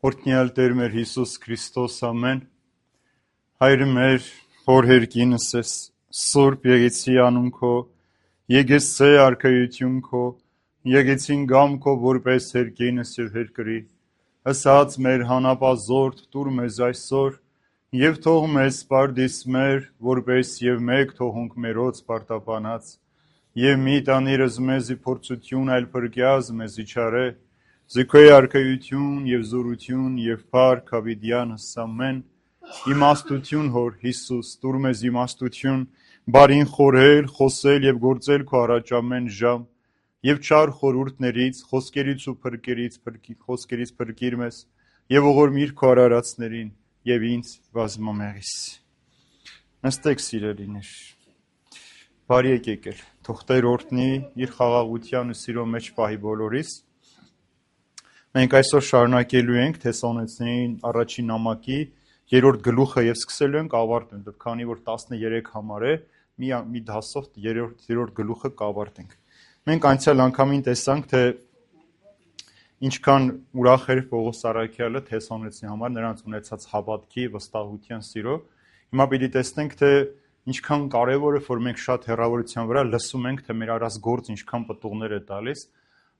Օրհնյալ Տեր մեր Հիսուս Քրիստոս ամեն, Հայր մեր, որ հերկինս ես, Սուրբ եկեցի անուն քո, եկեցե արքայություն քո, եկեցին գամ քո որպես հերկինս եւ հերկրի, ասած մեր հանապազորդ տուր մեզ այսօր, եւ թող մեզ պարդիս մեր, որպես եւ մեկ թողունք մերոց պարտապանած, եւ մի տանիրս մեզի փորձություն այլ փրկյազ մեզի չարե, Զիքոյ արքայություն եւ զորություն եւ փառք հավիդյանս ամեն, իմաստություն հոր Հիսուս, տուր մեզ իմաստություն, բարին խորհել, խոսել եւ գործել քո առաջ ամեն ժամ, եւ չար խորհուրդներից, խոսքերից ու խոսքերից փրկիր մեզ, եւ ողորմիր քո արարածներին եւ ինձ բազմամեղիս։ Նստեք սիրելիներ, բարի եկեք, թող Տեր օրհնի իր խաղաղության ու սիրո մեջ պահի բոլորիս։ Մենք այսօր շարունակելու ենք Թեսաղոնեցիներին առաջին նամակի 3-րդ գլուխը եւ սկսելու ենք ավարտել, քանի որ 13 համար է, մի դասով 3-րդ գլուխը կավարտենք։ Մենք անցյալ անգամին տեսանք, թե ինչքան ուրախ էր Պողոս Առաքյալը Թեսաղոնեցիների համար նրանց ունեցած հավատքի, վստահության, սիրո։ Հիմա պիտի տեսնենք, թե ինչքան կարևոր է, որ մենք շատ հեռավորության վրա լսում ենք, թե մեր արած գործ ինչքան պտուղներ է տալիս։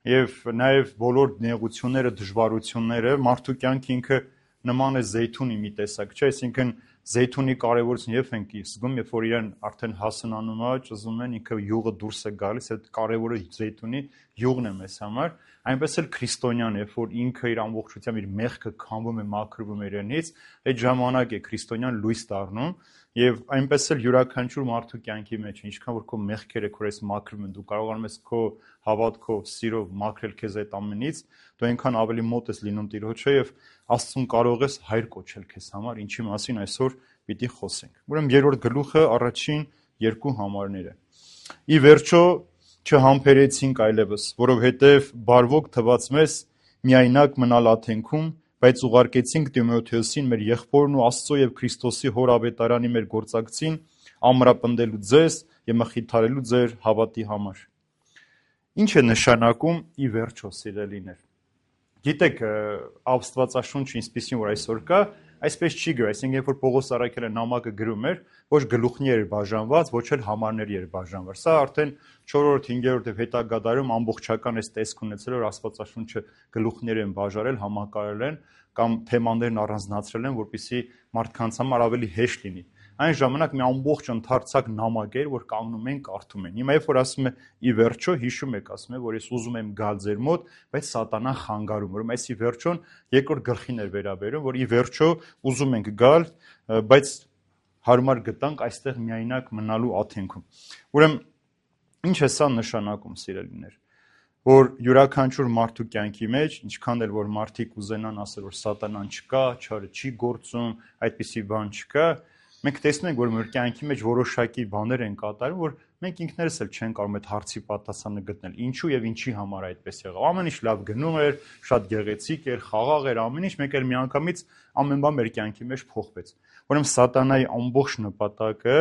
Եվ նաև բոլոր նեղությունները, դժվարությունները, մարդու կյանքը ինքը նման է զեյթունի մի տեսակ, չէ՞, այսինքն զեյթունի կարևորությունը երբ ենք զգում, երբ որ իրեն արդեն հասունանում է, ճզում են, ինքը յուղը դուրս է գալիս, այդ կարևորը զեյթունի յուղն է մեզ համար, այնպես էլ քրիստոնյան, երբ որ ինքը իր ամբողջությամբ իր մեղքը քամվում է, մաքրվում է իրենից, այդ ժամանակ է քրիստոնյան լույս դառնում, եւ այնպես էլ յուրաքանչյուր մարդու կյանքի մեջ, ինչքան որ քո մեղքերը քորես մաքրվում են, դու կարողանում ես քո հավատքով, սիրով մաքրել քեզ այդ ամենից, դու այնքան ավելի մոտ ես լինում Տիրոջը եւ Աստծուն կարող ես հայր կոչել քեզ համար, ինչի մասին այսօր պիտի խոսենք։ Ուրեմն 3-րդ գլուխը առաջին 2 համարները։ Ի վերջո չհամբերեցինք այլևս, որովհետև բարվոք թվաց մեզ միայնակ մնալ աթենքում, բայց ուղարկեցինք Տիմոթեոսին մեր եղբորն ու Աստծո եւ Քրիստոսի հոր ավետարանի մեր գործակցին, ամրապնդելու ձեզ եւ մխիթարելու ձեր հավատի համար։ Ինչ է նշանակում ի վերջո, սիրելիներ։ Գիտեք, Աստվածաշունչը ինչպեսին որ այսօր կա, այսպես չի գրում, այսինքն երբ որ Պողոս Առաքյալը նամակը գրում էր, ոչ գլուխներ էր բաժանված, ոչ էլ համարների էր բաժանված։ Սա արդեն 4-րդ, 5-րդ եւ հետագա դարում ամբողջական այս տեսք ունեցել, որ Աստվածաշունչը գլուխներ են բաժարել, համակարել են կամ թեմաներն առանձնացրել են, որպեսզի մարդկանց համար ավելի հեշտ լինի։ Այն ժամանակ մի ամբողջ ընդարձակ նամակ էր, որ կանգնում են, կարդում են։ Հիմա երբ որ ասում է ի վերջո, հիշում եք, ասում է, որ ես ուզում եմ գալ ձեր մոտ, բայց սատանան խանգարում, որ այս ի վերջոն երկրորդ գլխին էր վերաբերում, որ ի վերջո ուզում ենք գալ, բայց հարմար գտանք այստեղ միայնակ մնալու աթենքում։ Ուրեմն ինչ է սա նշանակում, սիրելիներ, որ յուրաքանչյուր մարդու կյանքի մեջ, ինչքան էլ որ մարդիկ ուզենան ասել, որ սատանան չկա, չարը չի գործում, այդպիսի բան չկա, մենք տեսնում ենք, որ մեր կյանքի մեջ որոշակի բաներ են կատարում, որ մենք ինքներս էլ չենք կարող այդ հարցի պատասխանը գտնել։ Ինչու եւ ինչի համար այդպես եղավ։ Ամեն ինչ լավ գնում էր, շատ գեղեցիկ էր, խաղաղ էր, ամեն ինչ, մեկ էլ միանգամից ամեն բան մեր կյանքի մեջ փոխվեց։ Ուրեմն սատանայի ամբողջ նպատակը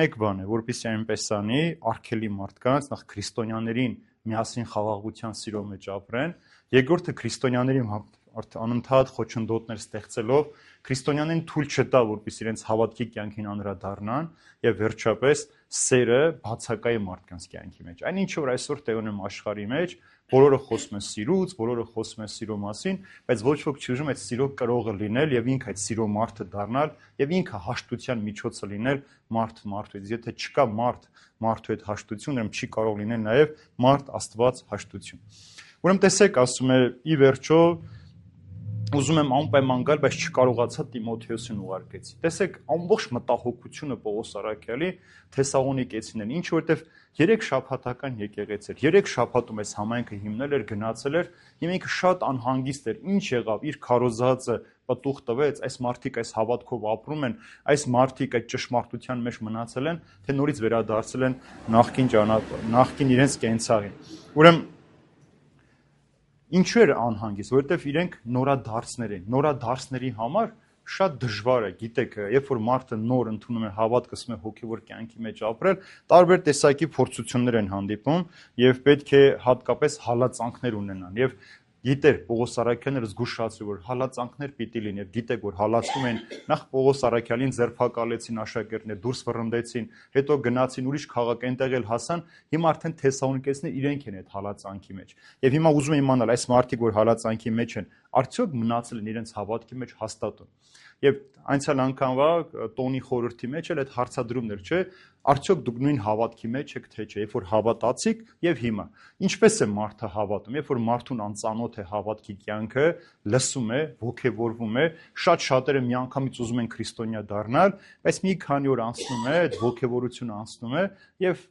մեկ բան է, որպեսզի այնպես անի, արգելի մարդկանց, նախ քրիստոնյաներին միասին խաղաղության սիրո մեջ ապրեն, երկրորդը քրիստոնյաներին անընդհատ խոչընդոտներ ստեղծելով քրիստոնյաներին թույլ չտա, որպեսզի իրենց հավատքի կյանքին անդրադառնան եւ վերջապես սերը բացակայ մարդկանց կյանքի մեջ։ Այն ինչ որ այսօր տեղ ունեմ աշխարհի մեջ, բոլորը խոսում են սիրուց, բոլորը խոսում են սիրո մասին, բայց ոչ ոք չի ուզում այդ սիրո կրողը լինել եւ ինքը այդ սիրո մարդը դառնալ եւ ինքը հաշտության միջոցը լինել մարդուից։ Եթե չկա մարդու այդ հաշտությունը, ուրեմն չի կարող լինել նաեւ մարդ Աստված հաշտություն։ Ուրեմն տեսեք, ասում է ի վերջո ուզում եմ անպայման գալ, բայց չկարողացա Տիմոթեոսին ուղարկեցի։ Տեսեք, ամբողջ մտահոգությունը Պողոս Առաքյալի Թեսաղոնիկեցիներին, ինչ որտեվ 3 շաբաթական եկեղեցի էր, 3 շաբաթում այս համայնքը հիմնել էր, գնացել էր, եւ ինքը շատ անհանգիստ էր, ինչ եղավ, իր քարոզածը պտուղ տվեց, այս մարդիկ այս հավատքով ապրում են, այս մարդիկ այդ ճշմարտության մեջ մնացել են, թե նորից վերադարձել են նախկին իրենց կենցաղին։ Ուրեմն ինչու էր անհանգիստ, որովհետև իրենք նորադարձներ են, նորադարձների համար շատ դժվար է, գիտեք, երբ որ մարդը նոր ընդունում է հավատք, սկսում է հոգևոր կյանքի մեջ ապրել, տարբեր տեսակի փորձություններ են հանդիպում եւ պետք է հատկապես հալածանքներ ունենան եւ գիտեր Պողոս Արաքյալը զգուշացրու, որ հալածանքներ պիտի լինի, եւ գիտեք, որ հալածում են նախ Պողոս Արաքյալին ձերբակալեցին աշակերտներ, դուրս վռնդեցին, հետո գնացին ուրիշ քաղաք, այնտեղ էլ հասան, հիմա արդեն թեսաղոնիկեցիները իրենք են այդ հալածանքի մեջ։ Եվ հիմա ուզում եմ իմանալ, այս մարդիկ, որ հալածանքի մեջ են, արդյոք մնացել են իրենց հավատքի մեջ հաստատուն։ Եվ անցյալ անգամվա տոնի խորհրդի մեջ էլ այդ հարցադրումներ, չէ, արդյոք դուք նույն հավատքի մեջ եք, թե չէ, երբ որ հավատացիք եւ հիմա։ Ինչպես է մարդը հավատում, երբ որ մարդուն անծանոթ է հավատքի կյանքը, լսում է, ոգևորվում է, շատ շատերը միանգամից ուզում են քրիստոնյա դառնալ, բայց մի քանի օր անցնում է, այդ ոգևորությունը անցնում է եւ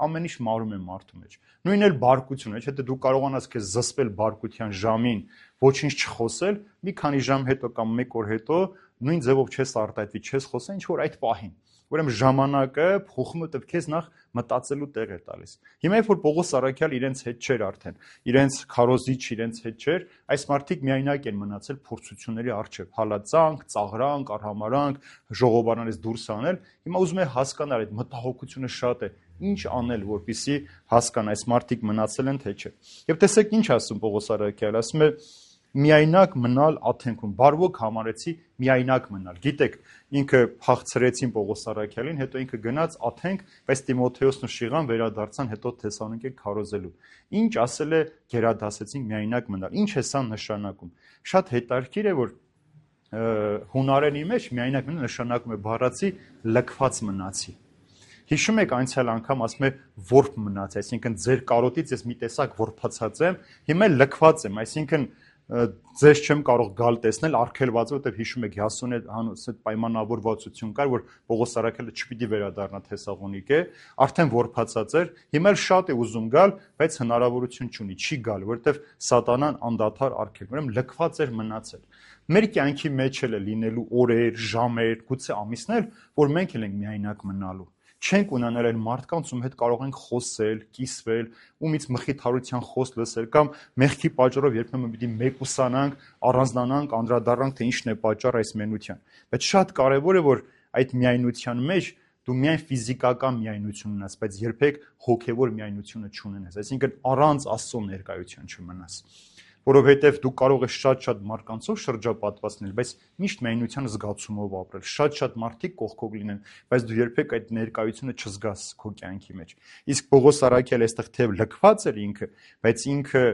ամեն ինչ մարում է մարդու մեջ։ Նույնն էլ բարկությունը, չէ՞, դու կարողանաս քեզ զսպել բարկության ժամին, ոչինչ չխոսել, մի քանի ժամ հետո կամ մեկ օր հետո նույն ձևով չես արտահայտվի, չես խոսել, ինչ որ այդ պահին։ Ուրեմն ժամանակը փոխում է, դեպ քեզ նախ մտածելու տեղ է տալիս։ Հիմա երբ որ Պողոս Արաքյալ իրենց հետ չէր արդեն, իրենց քարոզիչ իրենց հետ չէր, այս մարդիկ միայնակ են մնացել փորձությունների առջև, հալածանք, ծաղրանք, արհամարանք, ժողովարներից դուրս անել։ Հիմա ուզում է հասկանալ, այդ մտահոգությունը շատ է, ինչ անել, որպեսզի հասկանա, այս մարդիկ մնացել են թե չէ։ Եվ տեսեք ինչ ասում Պողոս Արաքյալը, ասում է միայնակ մնալ աթենքում, բարվոք համարեցի միայնակ մնալ։ Գիտեք, ինքը փախցրեցին Պողոս Արաքյալին, հետո ինքը գնաց Աթենք, բայց Տիմոթեոսն ու Շիղան վերադարձան հետո Թեսաղոնիկե քարոզելու։ Ինչ ասել է գերադասեցին միայնակ մնալ։ Ինչ է սա նշանակում։ Շատ հետաքրքիր է, որ հունարենի մեջ միայնակ մնալ նշանակում է բառացի լքված մնացի։ Հիշում եք անցյալ անգամ ասում է որբ մնաց, այսինքն ձեր կարոտից ես մի տեսակ որբացած եմ, հիմա լքված եմ, այսինքն ձեզ չեմ կարող գալ տեսնել, արգելված, որտեղ հիշում եք Յասոնի այդ պայմանավորվածություն կար, որ Պողոս Արաքյալը չպիտի վերադառնա Թեսաղոնիկե, արդեն որբացած էր, հիմա էլ շատ է ուզում գալ, բայց հնարավորություն չունի, չի գալ, որտեղ սատանան անդադար արգելում, ուրեմն լքված էր մնացել։ Մեր կյանքի մեջ էլ է լինելու օրեր, ժամեր, գուցե ամիսներ, որ մենք էլ ենք միայնակ մնալու։ Չենք ունենալ այն մարդկանց, ում հետ կարող ենք խոսել, կիսվել, ումից մխիթարության խոս լսել կամ մեղքի պատճառով երբեմն պիտի մեկուսանանք, առանձնանանք, անդրադառնանք, թե ինչն է պատճառ այս մենության։ Բայց շատ կարևոր է, որ այդ միայնության մեջ դու միայն ֆիզիկական միայնություն ունես, բայց երբեք հոգևոր միայնությունը չունենաս, այսինքն առանց Աստծո ներկայության չմնաս։ Որովհետև դու կարող ես շատ մարդկանցով շրջապատված լինել, բայց միշտ միայնության զգացումով ապրել, շատ մարդիկ կողքով լինեն, բայց դու երբեք այդ ներկայությունը չզգաս քո կյանքի մեջ։ Իսկ Պողոս Արաքյալը այստեղ թեև լքված էր ինքը, բայց ինքը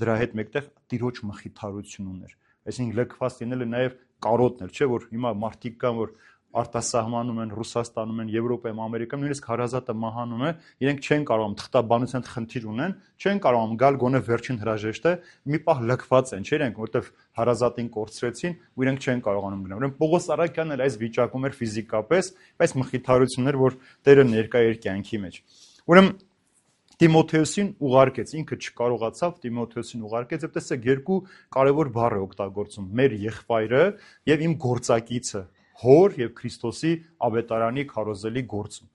դրա հետ մեկտեղ տիրոջ մխիթարություն ուներ։ Այսինքն լքված լինելը նաև կարոտն էր, չէ՞ որ հիմա մարդիկ կան, որ արտասահմանում են, Ռուսաստանում են, Եվրոպայում, Ամերիկայում, նույնիսկ հարազատը մահանում է, իրենք չեն կարողանում թղթաբանության խնդիր ունեն, չեն կարողանում գալ գոնե վերջին հրաժեշտը, մի պահ լքված են, չէ՞ իրենք, որտեվ հարազատին կորցրեցին ու իրենք չեն կարողանում գնալ։ Ուրեմն Պողոս Արաքյանն էլ այս վիճակում էր ֆիզիկապես, բայց մխիթարություններ, որ Տերը ներկա էր կյանքի մեջ։ Ուրեմն Տիմոթեոսին ուղարկեց, ինքը չկարողացավ, Տիմոթեոսին ուղարկեց, եւ տեսեք երկու կարևոր բառ է օգտագործում՝ մեր եղբայրը եւ իմ գործակիցը, հոր եւ Քրիստոսի ավետարանի քարոզելի գործում։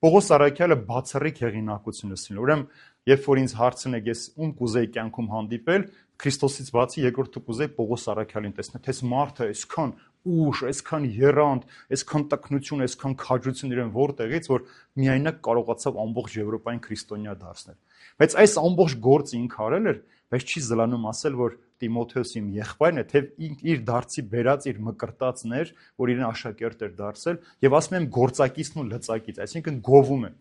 Պողոս Արաքյալը բացառիկ հեղինակություն է։ Ուրեմն, երբ որ ինձ հարցնեք, ես ում կուզեի կյանքում հանդիպել, Քրիստոսից բացի երկրորդը կուզեի Պողոս Արաքյալին տեսնել, թե մարդը այսքան ուժ, այսքան եռանդ, այսքան տկնություն, այսքան քաջություն իրեն որտեղից, որ միայնակ կարողացավ ամբողջ Եվրոպային քրիստոնյա դարձնել։ Բայց այս ամբողջ գործը ինքը արել էր, բայց չի զլանում ասել, որ Տիմոթեոսի իմ եղբայրն է, թե իր դարձի բերած իր մկրտածն էր, որ իրեն աշակերտ էր դարձել, եւ ասում եմ գործակիցն ու լծակից, այսինքն գովում է։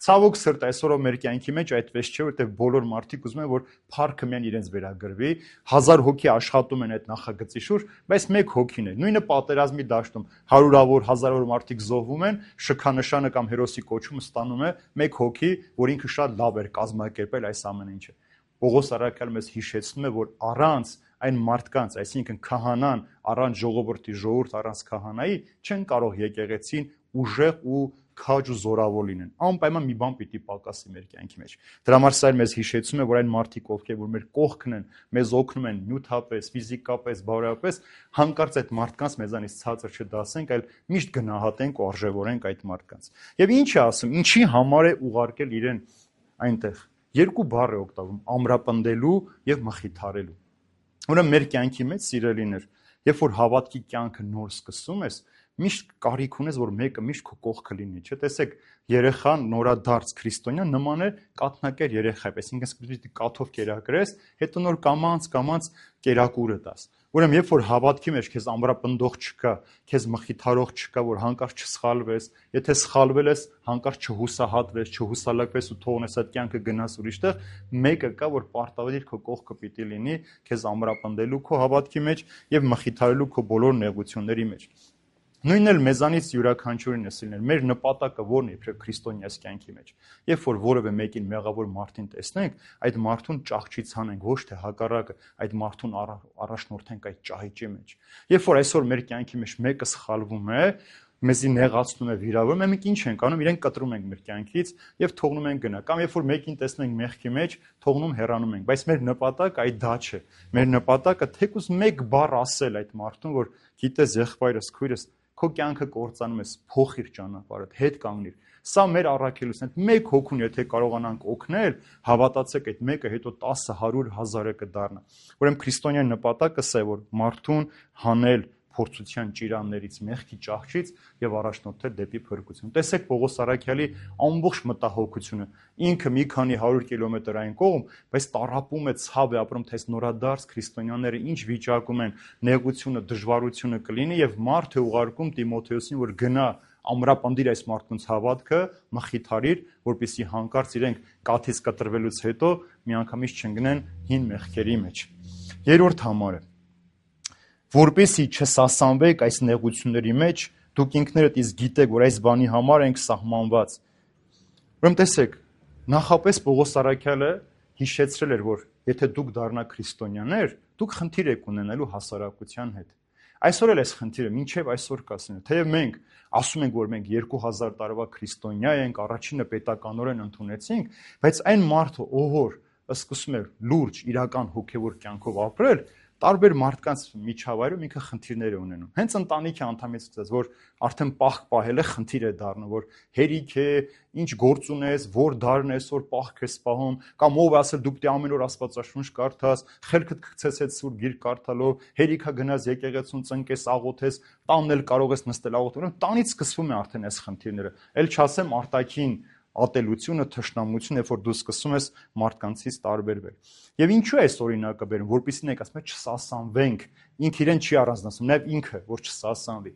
Ցավոք սրտի այսօրով մեր կյանքի մեջ այդպես չէ, որտեղ բոլոր մարդիկ ուզում են, որ փառքը միայն իրենց վերագրվի, 1000 հոգի աշխատում են այդ նախագծի շուրջ, բայց մեկ հոգին է։ Նույնը պատերազմի դաշտում 100-ավոր, 1000-ավոր մարդիկ զոհվում են, շքանշանը կամ հերոսի կոչումը ստանում է մեկ հոգի, որ ինքը շատ լավ էր կազմակերպել այս ամեն ինչը։ Պողոս Արաքյալը մեզ հիշեցնում է, որ առանց այն մարդկանց, այսինքն քահանան, առանց ժողովրդի ժողովուրդ, առանց քահանայի չեն կարող եկեղեցին ուժեղ ու քաջ ու զորավոր լինեն։ Անպայման մի բան պիտի պակասի մեր կյանքի մեջ։ Դրա համար սա մեզ հիշեցնում է, որ այն մարդիկ, ովքեր որ մեր կողքն են, մեզ օգնում են նյութապես, ֆիզիկապես, բարոյապես, հանկարծ այդ մարդկանց մեզանից ցածր չդասենք, այլ միշտ գնահատենք ու արժևորենք այդ մարդկանց։ Եվ ինչ է ասում, ինչի համար է ուղարկել իրեն այնտեղ։ Երկու բառ է օգտագործում՝ ամրապնդելու եւ մխիթարելու։ Ուրեմն մեր կյանքի մեջ, սիրելիներ, երբ որ հավատքի կյանքը նոր սկսում ես, միշտ կարիք ունես, որ մեկը միշտ քո կողքը լինի, չէ՞։ Տեսեք, երեխան նորադարձ քրիստոնյա նման է կաթնակեր երեխայի, այսինքն սկզբից կաթով կերակրես, հետո նոր կամանց կերակուրը տաս։ Ուրեմն երբ որ հավատքի մեջ քեզ ամրապնդող չկա, քեզ մխիթարող չկա, որ հանկարծ չսխալվես, եթե սխալվել ես, հանկարծ չհուսահատվես, չհուսալակվես ու թողնես այդ կյանքը գնաս ուրիշտեղ, մեկը կա, որ պարտադիր քո կողքը պիտի լինի, քեզ ամրապնդելու քո հավատքի մեջ եւ մխիթարելու քո բոլոր նեղությունների մեջ։ Նույնն էլ մեզանից յուրաքանչյուրին է լինել։ Մեր նպատակը ո՞րն է իբրև քրիստոնյաս կյանքի մեջ։ Երբ որ որևէ մեկին մեղավոր մարդին տեսնենք, այդ մարդուն ճահճի ցանենք, ոչ թե հակառակը, այդ մարդուն առաջնորդենք այդ ճահիճի մեջ։ Երբ որ այսօր մեր կյանքի մեջ մեկը սխալվում է, մեզի նեղացնում է, վիրավորում է, մենք ինչ ենք անում, իրեն կտրում ենք մեր կյանքից եւ թողնում ենք գնա։ Կամ երբ որ մեկին տեսնենք մեղքի մեջ, թողնում հեռանում ենք, բայց մեր նպատակը այդ դա չէ։ Մեր նպատակը թեկուզ մեկ բառ ասել այդ մարդուն, որ գիտես եղբայրս, քույրս, քո կյանքը կործանում ես, փոխիր ճանապարհդ, հետ կանգնիր։ Սա մեր առաքելությունն է։ Մեկ հոգուն եթե կարողանանք օգնել, հավատացեք այդ մեկը հետո 10, 100, 1000-ը կդառնա։ Ուրեմն քրիստոնյա նպատակը սա է, որ մարդուն հանել փորձության ճիրաններից, մեղքի ճահճից եւ առաջնորդել դեպի փրկություն։ Տեսեք Պողոս Առաքյալի ամբողջ մտահոգությունը։ Ինքը մի քանի 100 կիլոմետր այն կողմ, բայց տառապում է, ցավ է ապրում, թե այս նորադարձ քրիստոնյաները ինչ վիճակում են, նեղությունը, դժվարությունը կլինի եւ մարդ է ուղարկում Տիմոթեոսին, որ գնա ամրապնդիր այս մարդկանց հավատքը, մխիթարիր, որպեսզի հանկարծ իրենք կաթից կտրվելուց հետո միանգամից չընկնեն հին մեղքերի մեջ։ Երրորդ համարը, որպեսզի չսասանվեք այս նեղությունների մեջ, դուք ինքներդ իսկ գիտեք, որ այս բանի համար ենք սահմանված։ Ուրեմն տեսեք, նախապես Պողոս Առաքյալը հիշեցրել էր, որ եթե դուք դառնաք քրիստոնյաներ, դուք խնդիր եք ունենալու հասարակության հետ։ Այսօր էլ այս խնդիրը մինչև այսօր կասին, թեև մենք ասում ենք, որ մենք 2000 տարվա քրիստոնյա ենք, առաջինը պետականորեն ընդունեցինք, բայց այն մարդը, ով որ սկսում է լուրջ իրական հոգևոր կյանքով ապրել, տարբեր մարդկանց միջավայրում ինքը խնդիրներ է ունենում։ Հենց ընտանիքի անդամից սկսած, որ արդեն պահք պահելը խնդիր է դառնում, որ հերիք է, ինչ գործ ունես, որ դարն ես, որ պահք ես պահում, կամ ով ասել դու պիտի ամեն օր Աստվածաշունչ կարդաս, խելքդ գցես այդ սուրբ գիրք կարդալով, հերիքա գնաս եկեղեցուն ծնկես, աղոթես, տանն էլ կարող ես նստել աղոթել։ Տանից սկսվում է արդեն այս խնդիրները։ Էլ չասեմ արտաքին ատելությունը, թշնամությունը, երբ որ դու սկսում ես մարդկանցից տարբերվել։ Եվ ինչու է այս օրինակը բերում, որպեսզի մենք ասում ենք չսասանվենք, ինքը իրեն չի առանձնացնում, նաև ինքը, որ չսասանվի։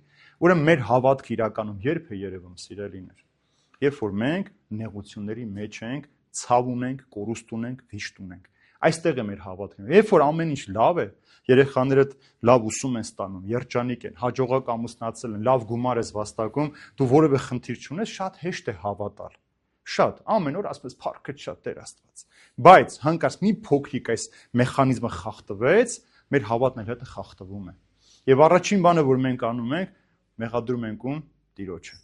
Ուրեմն մեր հավատքը իրականում երբ է երևում, սիրելիներ, երբ որ մենք նեղությունների մեջ ենք, ցավ ունենք, կորուստ ունենք, վիշտ ունենք։ Այստեղ է մեր հավատքը։ Երբ որ ամեն ինչ լավ է, երեխաներդ լավ ուսում են ստանում, երջանիկ են, հաջողակ ամուսնացել են, լավ գումար ես վաստակում, դու որևէ խնդիր չունես, շատ հեշտ է հավատալ։ Շատ, ամեն օր ասես փառքը շատ Տեր Աստված։ Բայց հանկարծ մի փոքրիկ այս մեխանիզմը խախտվեց, մեր հավատն էլ հետը խախտվում է։ Եվ առաջին բանը, որ մենք անում ենք, մեղադրում ենք ում Տիրոջը։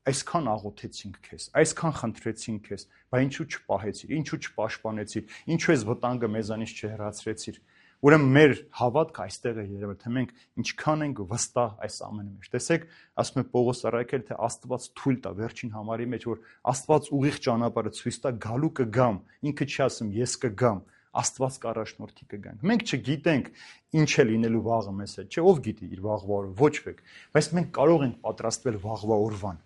Այսքան աղոթեցինք քեզ, այսքան խնդրեցինք քեզ, բայց ինչու չպահեցիր, ինչու չպաշտպանեցիր, ինչու ես վտանգը մեզանից չհեռացրեցիր։ Ուրեմն մեր հավատքը այստեղ է երևել, թե մենք ինչքան ենք վստահ այս ամենի մեջ։ Տեսեք, ասում է Պողոս Առաքյալը, թե Աստված թույլ տա վերջին համարի մեջ, որ Աստված ուղիղ ճանապարհը ցույց տա, գալու կգամ, ինքը չի ասում ես կգամ, Աստված կառաջնորդի կգանք։ Մենք չգիտենք ինչ է լինելու վաղը մեզ հետ, չէ՞, ով գիտի իր վաղվա օրը, ոչ ոք, բայց մենք կարող ենք պատրաստվել վաղվա օրվան։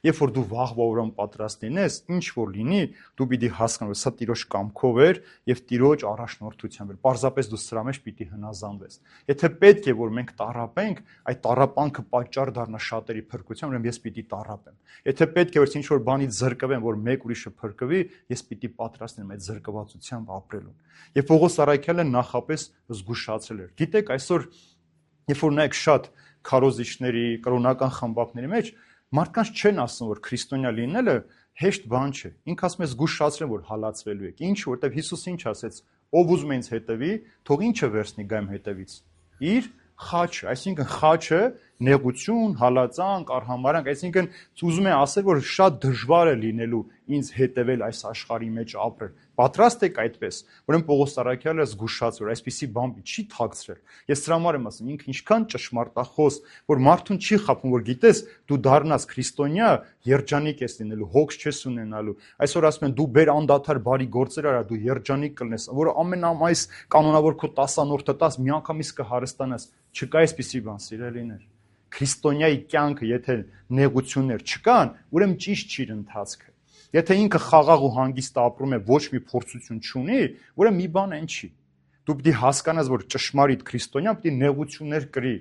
Երբ որ դու վաղվա օրվան պատրաստ լինես, ինչ որ լինի, դու պիտի հասկանաս, սա Տիրոջ կամքով էր եւ Տիրոջ առաջնորդությամբ էր։ Պարզապես դու սրա մեջ պիտի հնազանդվես։ Եթե պետք է որ մենք տառապենք, այդ տառապանքը պատճառ դառնա շատերի փրկության, ուրեմն ես պիտի տառապեմ։ Եթե պետք է որ ինչ որ բանից զրկվեմ, որ մեկ ուրիշը փրկվի, ես պիտի պատրաստ լինեմ այդ զրկվածությամբ ապրելուն։ Եվ Պողոս Առաքյալը նախապես զգուշացրել էր։ Գիտեք, այսօր երբ որ նայեք շատ քարոզիչների, կրոնական խմբակների մեջ մարդկանց չեն ասում, որ քրիստոնյա լինելը հեշտ բան չէ։ Ինքը ասում է զգուշացրել, որ հալածվելու եք։ Ինչ, որտեվ Հիսուսը ինչ ասեց. ով ուզում է ինձ հետևի, թող ինչը վերցնի գայմ հետևից։ Իր խաչը, այսինքն խաչը նեղություն, հալածանք, արհամարանք, այսինքն ուզում է ասել, որ շատ դժվար է լինելու ինձ հետևել այս աշխարհի մեջ ապրել։ Պատրաստ եք այդպես։ Ուրեմն Պողոս Առաքյալը զգուշացրել, այսպիսի բան չի թաքցրել։ Ես սրա համար եմ ասում, ինքը ինչքան ճշմարտախոս, որ մարդուն չի խափում, որ գիտես, դու դառնաս քրիստոնյա, երջանիկ ես լինելու, հոգս չես ունենալու։ Այսօր ասում են դու բեր անդադար բարի գործեր արա, դու երջանիկ կլինես, որ ամենամայիս կանոնավոր քո 10 անորդը 10 միանգամից կհարստանաս։ Չկա այսպիսի բան, սիրելիներ։ քրիստոնյայի կյանքը, եթե նեղություններ չկան, ուրեմն ճիշտ չի ընթացքը։ Եթե ինքը խաղաղ ու հանգիստ ապրում է, ոչ մի փորձություն չունի, ուրեմն մի բան այն չի։ Դու պիտի հասկանաս, որ ճշմարիտ քրիստոնյա պիտի նեղություններ կրի,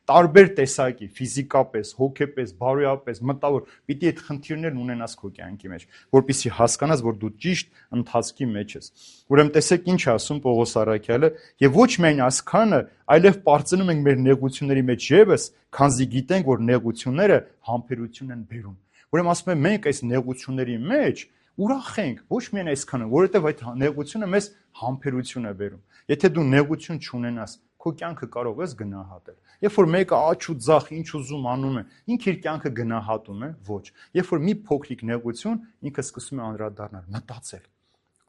տարբեր տեսակի, ֆիզիկապես, հոգեպես, բարոյապես, մտավոր, պիտի այդ խնդիրներն ունենաս քո կյանքի մեջ, որպեսզի հասկանաս, որ դու ճիշտ ընթացքի մեջ ես։ Ուրեմն տեսեք ինչ է ասում Պողոս առաքյալը, եւ ոչ միայն այսքանը, այլև պարծնում ենք մեր նեղությունների մեջ եւս, քանզի գիտենք, որ նեղությունները համբերություն են բերում։ Ուրեմն ասում եմ, մենք այս նեղությունների մեջ ուրախ ենք, ոչ միայն այսքանը, որովհետև այդ նեղությունը մեզ համբերություն է բերում։ Եթե դու նեղություն չունենաս, քո կյանքը կարող ես գնահատել։ Երբ որ մեկը աչ ու ձախ ինչ ուզում անում է, ինքը իր կյանքը գնահատում է, ոչ։ Երբ որ մի փոքրիկ նեղություն, ինքը սկսում է անդրադառնալ, մտածել։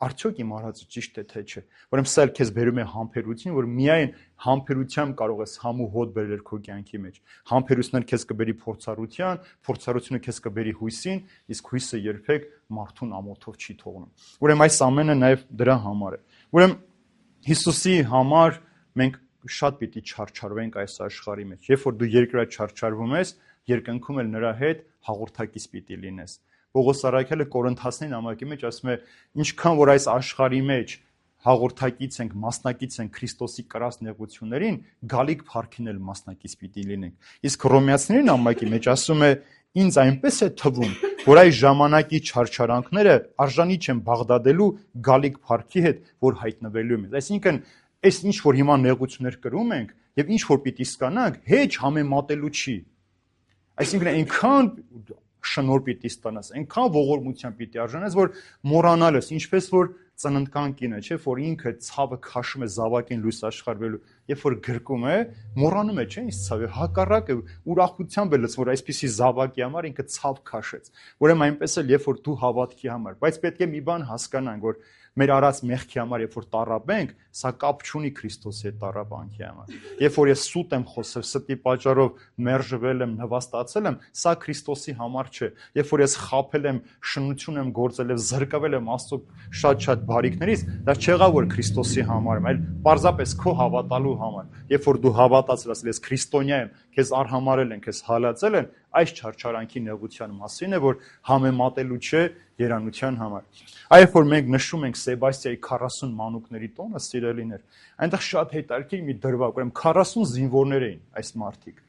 Արդյոք իմ արածը ճիշտ է թե չէ։ Ուրեմն սա էլ քեզ բերում է համբերություն, որ միայն համբերությամբ կարող ես համ ու հոտ բերել քո կյանքի մեջ։ Համբերությունը քեզ կբերի փորձառության, փորձառությունը քեզ կբերի հույսին, իսկ հույսը երբեք մարդուն ամոթով չի թողնում։ Ուրեմն այս ամենը նաև դրա համար է։ Ուրեմն Հիսուսի համար մենք շատ պիտի չարչարվենք այս աշխարհի մեջ։ Երբ որ դու երկրորդ չարչարվում ես, երկնքում էլ նրա հետ հաղորդակից պիտի լինես։ Պողոս առաքյալը Կորինթացիներին նամակի մեջ ասում է, ինչքան որ այս աշխարհի մեջ հաղորդակից ենք, մասնակից ենք Քրիստոսի կրած նեղություններին, գալիք փառքին էլ մասնակից պիտի լինենք։ Իսկ Հռոմեացիների նամակի մեջ ասում է, ինձ այնպես է թվում, որ այս ժամանակի չարչարանքները արժանի չեն Բաղդադելու գալիք փառքի հետ, որ հայտնվելու է։ Այսինքն այս ինչ որ հիմա նեղություններ կրում ենք եւ ինչ որ պիտի ստանանք, հեչ համեմատելու չի։ Այսինքն այնքան շնորհ պիտի ստանաս, այնքան ողորմության պիտի արժանես, որ մոռանալ ես, ինչպես որ ծննդկան կինը, չէ, որ ինքը ցավը քաշում է զավակին լույս աշխարհվելու, երբ որ գրկում է, մոռանում է, չէ, ինչ ցավը, հակառակը ուրախությամբ է լցվում, որ այսպիսի զավակի համար ինքը ցավ քաշեց։ Ուրեմն այնպես էլ երբ որ դու հավատքի համար, բայց պետք է մի բան հասկանանք, որ մեր արած մեղքի համար, երբ որ տառապենք, սա կապ չունի Քրիստոսի հետ տառապանքի համար։ Երբ որ ես սուտ եմ խոսել, ստի պատճառով մերժվել եմ, նվաստացել եմ, սա Քրիստոսի համար չէ։ Երբ որ ես խաբել եմ, շնություն եմ գործել եւ զրկվել եմ Աստծո շատ բարիքներից, դա չեղավ որ Քրիստոսի համար եմ, այլ պարզապես քո հավատալու համար։ Երբ որ դու հավատացել ես, ես քրիստոնյա եմ, քեզ արհամարել են, քեզ հալածել են, այս չարչարանքի նեղության մասին է, որ համեմատելու չէ երանության համար։ Այո, որ մենք նշում ենք Սեբաստիայի 40 մանուկների տոնը, սիրելիներ, այնտեղ շատ հետաքրքիր մի դրվագ, ուրեմն 40 զինվորներ էին այս մարդիկ։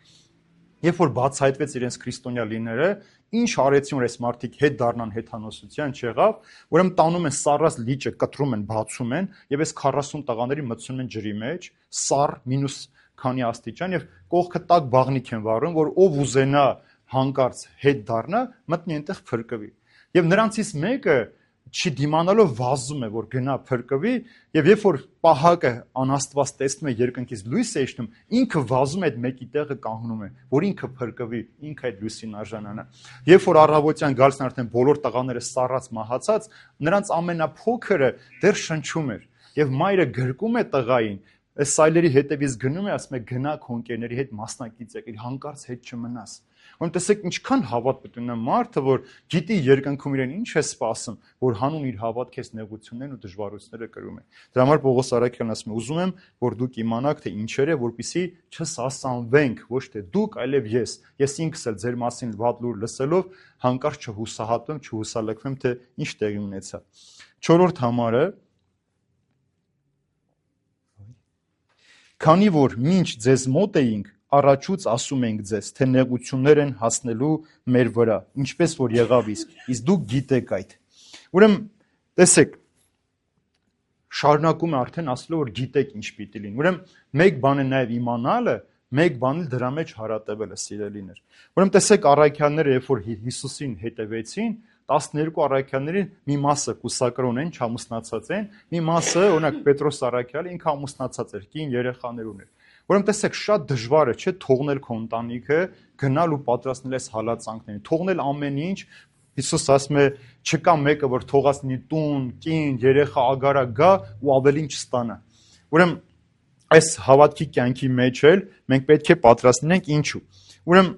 Երբ որ բացահայտվեց իրենց քրիստոնյա լինելը, ինչ արեցին, որ այս մարդիկ հետ դառնան հեթանոսության չեղավ, ուրեմն տանում են սառած լիճը, կտրում են, բացում են, եւ այս 40 տղաների մտցնում են ջրի մեջ, սառ մինուս քանի աստիճան, եւ կողքը տակ բաղնիք են վառում, որ ով ուզենա հանկարծ հետ դառնա, մտնի այնտեղ փրկվի։ Եվ նրանցից մեկը չդիմանալով վազում է, որ գնա փրկվի, եւ երբ որ պահակը անաստված տեսնում է երկնքից լույս է իջնում, ինքը վազում է այդ մեկի տեղը կանգնում է, որ ինքը փրկվի, ինքը այդ լույսին արժանանա։ Երբ որ առավոտյան գալիս են արդեն բոլոր տղաները սառած մահացած, նրանց ամենափոքրը դեռ շնչում էր, եւ մայրը գրկում է տղային, այս սայլերի հետևից գնում է, ասում է գնա քո ընկերների հետ մասնակից եք, հանկարծ հետ չմնաս։ Ուրեմն տեսեք ինչքան հավատ պետք ունենա մարդը, որ գիտի երկնքում իրեն ինչ է սպասում, որ հանուն իր հավատքից նեղություններն ու դժվարությունները կրում է։ Դրա համար Պողոս առաքյալն ասում է, ուզում եմ, որ դուք իմանաք, թե ինչեր է, որպեսզի չսասանվենք, ոչ թե դուք, այլև ես։ Ես ինքս էլ ձեր մասին վատ լուր լսելով հանկարծ չհուսահատվեմ, չհուսալքվեմ, թե ինչ տեղի ունեցավ։ 4-րդ համարը, քանի որ մինչ ձեզ մոտ էինք, առաջուց ասում ենք ձեզ, թե նեղություններ են հասնելու մեր վրա, ինչպես որ եղավ իսկ դուք գիտեք այդ։ Ուրեմն, տեսեք, շարունակում է արդեն ասելով, որ գիտեք ինչ պիտի լինի։ Ուրեմն, մեկ բան է նաև իմանալը, մեկ բան էլ դրա մեջ հարատևելը, սիրելիներ։ Ուրեմն, տեսեք, առաքյալները, երբ որ Հիսուսին հետևեցին, 12 առաքյալների մի մասը կուսակրոն են, չամուսնացած են, մի մասը, օրինակ Պետրոս առաքյալը ինքը ամուսնացած էր, կին երեխաներ ուներ։ Ուրեմն տեսեք, շատ դժվար է, չէ՞, թողնել քո ընտանիքը, գնալ ու պատրաստնել այս հալածանքներին, թողնել ամեն ինչ։ Հիսուս ասում է, չկա մեկը, որ թողածնի տուն, կին, երեխա, ագարա գա ու ավելին չստանա։ Ուրեմն այս հավատքի կյանքի մեջ էլ մենք պետք է պատրաստնենք ինչու։ Ուրեմն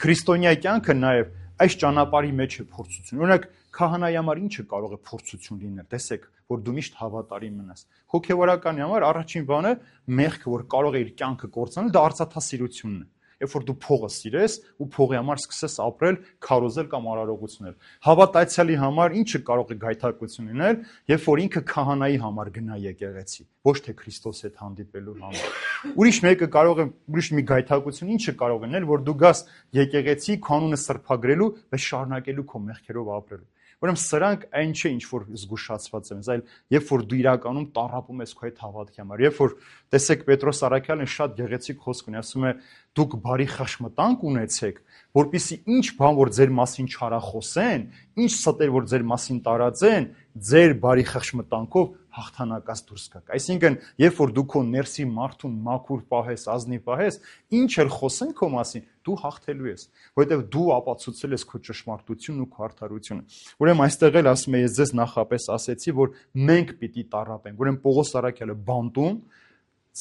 քրիստոնյա կյանքը նաև այս ճանապարհի մեջ է փորձություն։ Օրինակ քահանայի համար ինչը կարող է փորձություն լինել։ Տեսեք, որ դու միշտ հավատարիմ մնաս։ Հոգևորականի համար առաջին բանը մեղքը, որ կարող է իր կյանքը կործանել, դա արծաթասիրությունն է։ երբ որ դու փողը սիրես ու փողի համար սկսես ապրել, քարոզել կամ արարողությունել։ Հավատացյալի համար ինչը կարող է գայթակղություն լինել, երբ որ ինքը քահանայի համար գնա եկեղեցի, ոչ թե Քրիստոսի հետ հանդիպելու համար։ Ուրիշ մի գայթակղություն ինչը կարող է լինել, որ դու գաս եկեղեցի քո անունը սրբագրելու, բայց շարունակելու քո մեղքերով ապրելու։ Ուրեմն սրանք այն չէ, ինչ որ զգուշացված են, այլ երբ որ դու իրականում տառապում ես քո այդ հավատքի համար, երբ որ տեսեք Պետրոս Առաքյալն շատ գեղեցիկ խոսք ունի, ասում է դուք բարի խշմտանք ունեցեք, որպեսզի ինչ բան որ ձեր մասին չարախոսեն, ինչ ստեր որ ձեր մասին տարածեն, ձեր բարի խշմտանքով հաղթանակած դուրս գաք։ Այսինքն, երբ որ դու քո ներսի մարդուն մաքուր պահես, ազնիվ պահես, ինչ էլ խոսեն քո մասին, դու հաղթելու ես, որովհետև դու ապացուցել ես քո ճշմարտությունն ու քո արդարությունը։ Ուրեմն այստեղ էլ ասում եմ, ես ձեզ նախապես ասեցի, որ մենք պիտի տառապենք։ Ուրեմն Պողոս Առաքյալը բանտում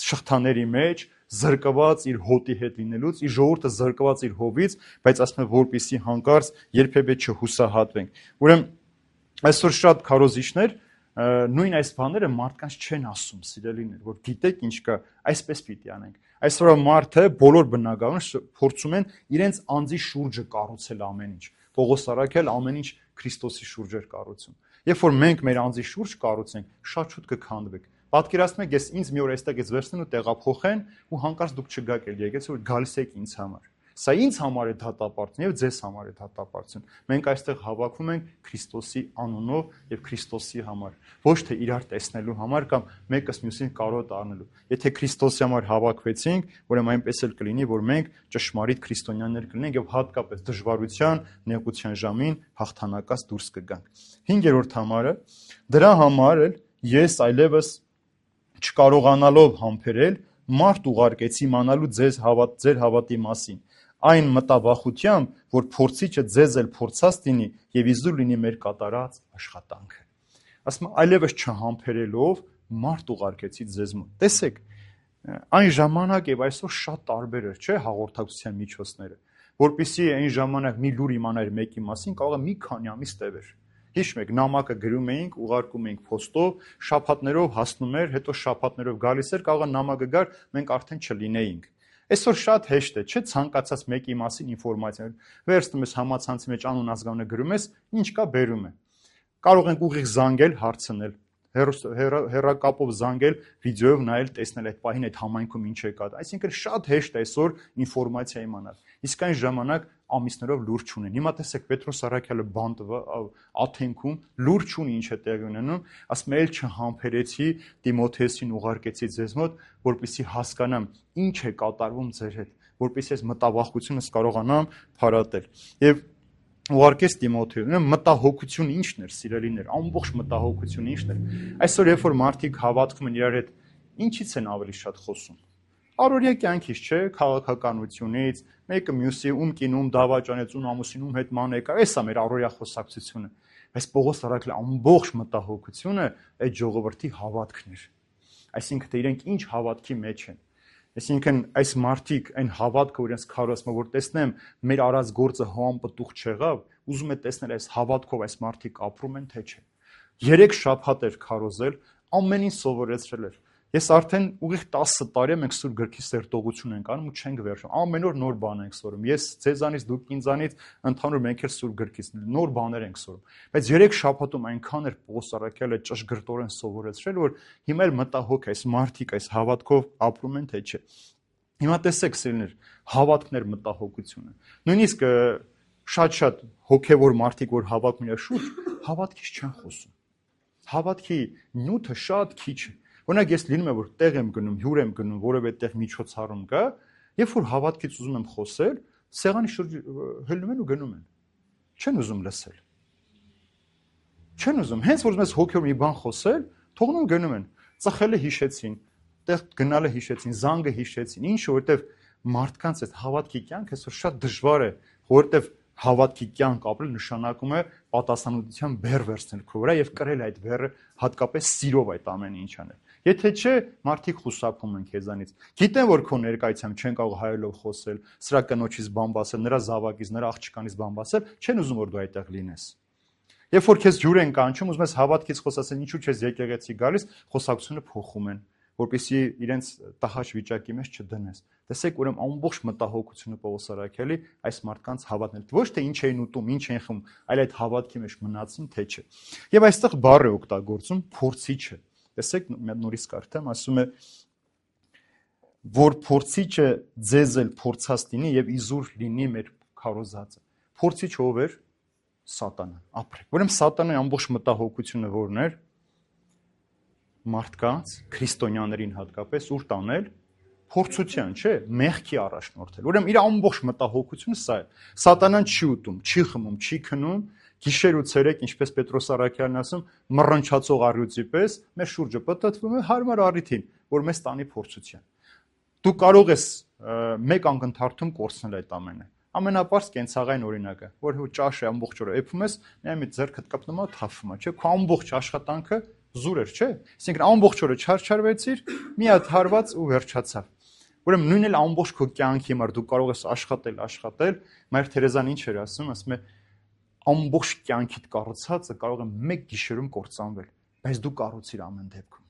շղթաների մեջ զրկված իր հոտի հետ լինելուց, իր ժողովուրդը զրկված իր հովից, բայց ասում եմ, որպեսզի հանկարծ երբևէ չհուսահատվենք։ Ուրեմն այսօր շատ քարոզիչներ նույն այս բաները մարդկանց չեն ասում, սիրելիներ, որ գիտեք ինչ կա, այսպես պիտի անենք։ Այսօր մարդը բոլոր բնակարանը փորձում են իրենց անձի շուրջը կառուցել ամեն ինչ։ Պողոս Առաքյալը ամեն ինչ Քրիստոսի շուրջ էր կառուցում։ Երբ որ մենք մեր անձի շուրջ կառուցենք, շատ շուտ կքանդվենք։ Պատկերացնեք, ես ինձ մի օր այստեղից վերցնեն ու տեղափոխեն ու հանկարծ դուք չգաք էլ եկեք, որ գալիս եք ինձ համար։ Սա ինձ համար է դատապարտություն եւ ձեզ համար է դատապարտություն։ Մենք այստեղ հավաքվում ենք Քրիստոսի անունով եւ Քրիստոսի համար, ոչ թե իրար տեսնելու համար կամ մեկս մյուսին կարոտ առնելու։ Եթե Քրիստոսի համար հավաքվեցինք, ուրեմն այնպես էլ կլինի, որ մենք ճշմարիտ քրիստոնյաներ կլինենք եւ հատկապես դժվարության, նեղության ժամին հաղթանակած դուրս կգանք։ 5-րդ համարը, դրա համար էլ ես այլևս չկարողանալով համբերել մարդ ուղարկեցի իմանալու ձեր հավատի մասին, այն մտավախությամբ, որ փորձիչը ձեզ էլ փորձած լինի եւ իզուր լինի մեր կատարած աշխատանքը։ Ասում եմ, այլևս չհամբերելով մարդ ուղարկեցի ձեզ մոտ։ Տեսեք, այն ժամանակ եւ այսօր շատ տարբեր էր, չէ՞, հաղորդակցության միջոցները, որpիսի այն ժամանակ մի լուր իմանար մեկի մասին, կարող է մի քանի ամիս տևեր։ Հիշում եք, նամակը գրում էինք, ուղարկում էինք փոստով, շաբաթներով հասնում էր, հետո շաբաթներով գալիս էր, կարող է նամակը գար, մենք արդեն չլինեինք։ Այսօր շատ հեշտ է, չէ՞, ցանկացած մեկի մասին ինֆորմացիա վերցնում ես համացանցի մեջ անուն ազգանունը գրում ես, ինչ կա բերում է։ Կարող ենք ուղիղ զանգել, հարցնել, հեռակապով զանգել, վիդեոյով նայել, տեսնել այդ պահին այդ համայնքում ինչ է կա։ Այսինքն շատ հեշտ է այսօր ինֆորմացիա իմանալ։ Իսկ այն ժամանակ ամիսներով լուր չունեն։ Հիմա տեսեք Պետրոս Առաքյալը Աթենքում լուր չունի ինչ է տեղի ունենում, ասում է, չհամբերեցի Տիմոթեոսին ուղարկեցի ձեզ մոտ, որպեսզի հասկանամ ինչ է կատարվում ձեր հետ, որպեսզի այս մտավախությունս կարողանամ փարատել։ Եվ ուղարկեց Տիմոթեոսին, մտահոգությունը ինչն էր, սիրելիներ, ամբողջ մտահոգությունը ինչն էր։ Այսօր երբ որ մարդիկ հավատքում են իրար հետ, ինչից են ավելի շատ խոսում։ Առօրյա կյանքից չէ, քաղաքականությունից, մեկը մյուսի ում կինում դավաճանեց, ում ամուսին հետ ման եկա, էս է մեր առօրյա խոսակցությունը։ Բայց Պողոս Առաքյալի ամբողջ մտահոգությունը այդ ժողովրդի հավատքն էր։ Այսինքն թե իրենք ինչ հավատքի մեջ են։ Այսինքն այս մարդիկ այն հավատքը, որ իրենց քարոզում, որ տեսնեմ մեր արած գործը համապտուղ չեղավ, ուզում է տեսնել այս հավատքով այս մարդիկ ապրում են թե չէ։ 3 շաբաթ էր քարոզել, ամեն ինչ սովորեցրել էր։ Ես արդեն ուղիղ 10 տարի մենք Սուրբ Գրքի սերտողություն ենք անում ու չենք վերջում։ Ամեն օր նոր բան ենք սորում։ Ես ձեզանից, դուք ինձանից, ընդհանուր մենք էլ Սուրբ Գրքից նոր բաներ ենք սորում։ Բայց 3 շաբաթում այնքան էր Պողոս Առաքյալը ճշգրտորեն սովորեցրել, որ հիմա էլ մտահոգ այս մարդիկ այս հավատքով ապրում են թե չէ։ Հիմա տեսեք, սիրելիներ, հավատքներ մտահոգությունը։ Նույնիսկ շատ հոգևոր մարդիկ, որ հավատում են շուտ, հավատքից չեն խոսում։ Հավատքի նյութը շատ քիչ է։ Օրինակ ես լինում է որ տեղ եմ գնում, հյուր եմ գնում, որևէ տեղ միջոցառում կա, երբ որ հավատքից ուզում եմ խոսել, սեղանի շուրջ հելնում են ու գնում են։ Չեն ուզում լսել։ Չեն ուզում, հենց որ ուզում ես հոգեոր մի բան խոսել, թողնում գնում են։ Ծխելը հիշեցին, տեղ գնալը հիշեցին, զանգը հիշեցին, ինչը որովհետև մարդկանց այդ հավատքի կյանքը այսօր շատ դժվար է, որովհետև հավատքի կյանք ապրել նշանակում է պատասխանատվության բեռ վերցնել քո վրա եւ կրել այդ բեռը հատկապես սիրով այդ ամենը ինչ անել։ Եթե չէ, մարդիկ խուսափում են քեզանից։ Գիտեն, որ քո ներկայությամբ չեն կարող հայերով խոսել, սրա կնոջից բան ասել, նրա զավակից, նրա աղջկանից բան ասել, չեն ուզում որ դու այդտեղ լինես։ Երբ որ քեզ հյուր են կանչում, ուզում ես հավատքից խոսացել, ինչու՞ չես եկեղեցի գալիս, խոսակցությունը փոխում են, որպեսզի իրենց տհաճ վիճակի մեջ չդնես։ Տեսեք, ուրեմն ամբողջ մտահոգությունը Պողոս Արաքյալի այս մարդկանց հավատն է։ Ոչ թե ինչ էին ուտում, ինչ էին խմում, այլ այդ հավատքի մեջ մնացին, թե չէ։ Եվ այստեղ բառ է օգտագործում փորձիչը։ Տեսեք, մի հատ նորից կարդամ, ասում է, որ փորձիչը ձեզ էլ փորձած լինի եւ իզուր լինի մեր քարոզածը։ Փորձիչ ով էր? Սատանան, ապրեք։ Ուրեմն սատանայի ամբողջ մտահոգությունը որն էր? Մարդկանց, քրիստոնյաներին հատկապես ուր տանել? Փորձության, չէ, մեղքի առաջնորդել։ Ուրեմն իր ամբողջ մտահոգությունը սա է։ Սատանան չի ուտում, չի խմում, չի քնում, գիշեր ու ցերեկ, ինչպես Պետրոս Արաքյալն ասում, մռնչացող առյուծի պես մեր շուրջը պտտվում է հարմար առիթին, որ մեզ տանի փորձության։ Դու կարող ես մեկ անգընթարթում կորցնել այդ ամենը։ Ամենապարզ կենցաղային օրինակը, որ ճաշը ամբողջ օրը էփում ես, մի ձեռքդ կպնում է, թափվում է, չէ՞, քո ամբողջ աշխատանքը զուր էր, չէ՞։ Այսինքն ամբողջ օրը չարչարվեցիր, մի հատ հարված ու վերջացավ։ Ուրեմն նույնն էլ ամբողջ քո կյանքի համար դու կարող ես աշխատել, Մայր Թերեզան ինչ էր ասում է ամբողջ կյանքիդ կառուցածը կարող է մեկ գիշերում կործանվել, բայց դու կառուցիր ամեն դեպքում։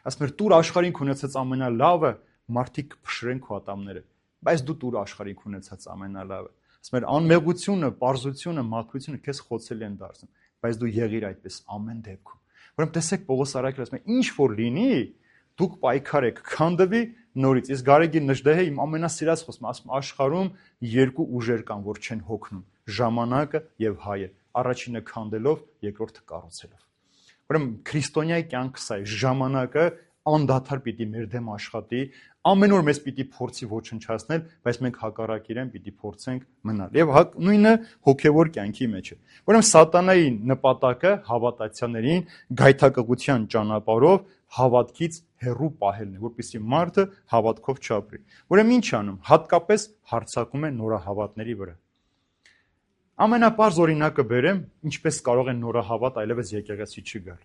Ասում էր տուր աշխարհին ունեցած ամենալավը, մարդիկ փշրեն քո ատամները, բայց դու տուր աշխարհին ունեցած ամենալավը։ Ասում էր անմեղությունը, պարզությունը, մաքրությունը քեզ խոցելի են դարձնում, բայց դու եղիր այդպես ամեն դեպքում։ Ուրեմն տեսեք Պողոս Արաքյալը ասում է ինչ որ լինի, դուք պայքարեք, քանդվի նորից։ Իսկ Գարեգին Նժդեհը իմ ամենասիրած խոսքը ասում աշխարհում երկու ուժեր կան, որ չեն հոգնում. ժամանակը եւ հայը, առաջինը քանդելով, երկրորդը կառուցելով։ Ուրեմն քրիստոնյայի կյանքը սա է, ժամանակը անդադար պիտի մեր դեմ աշխատի, ամեն օր մեզ պիտի փորձի ոչնչացնել, բայց մենք հակառակ իրեն պիտի փորձենք մնալ։ Եվ նույնը հոգևոր կյանքի մեջ է։ Ուրեմն սատանայի նպատակը հավատացյալներին գայթակղության ճանապարհով հավատքից հեռու պահելն է, որպեսզի մարդը հավատքով չապրի։ Ուրեմն ինչ անում, հատկապես հարձակում է նորահավատների վրա։ Ամենապարզ օրինակը բերեմ, ինչպես կարող են նորահավատ այլևս եկեղեցի չգալ։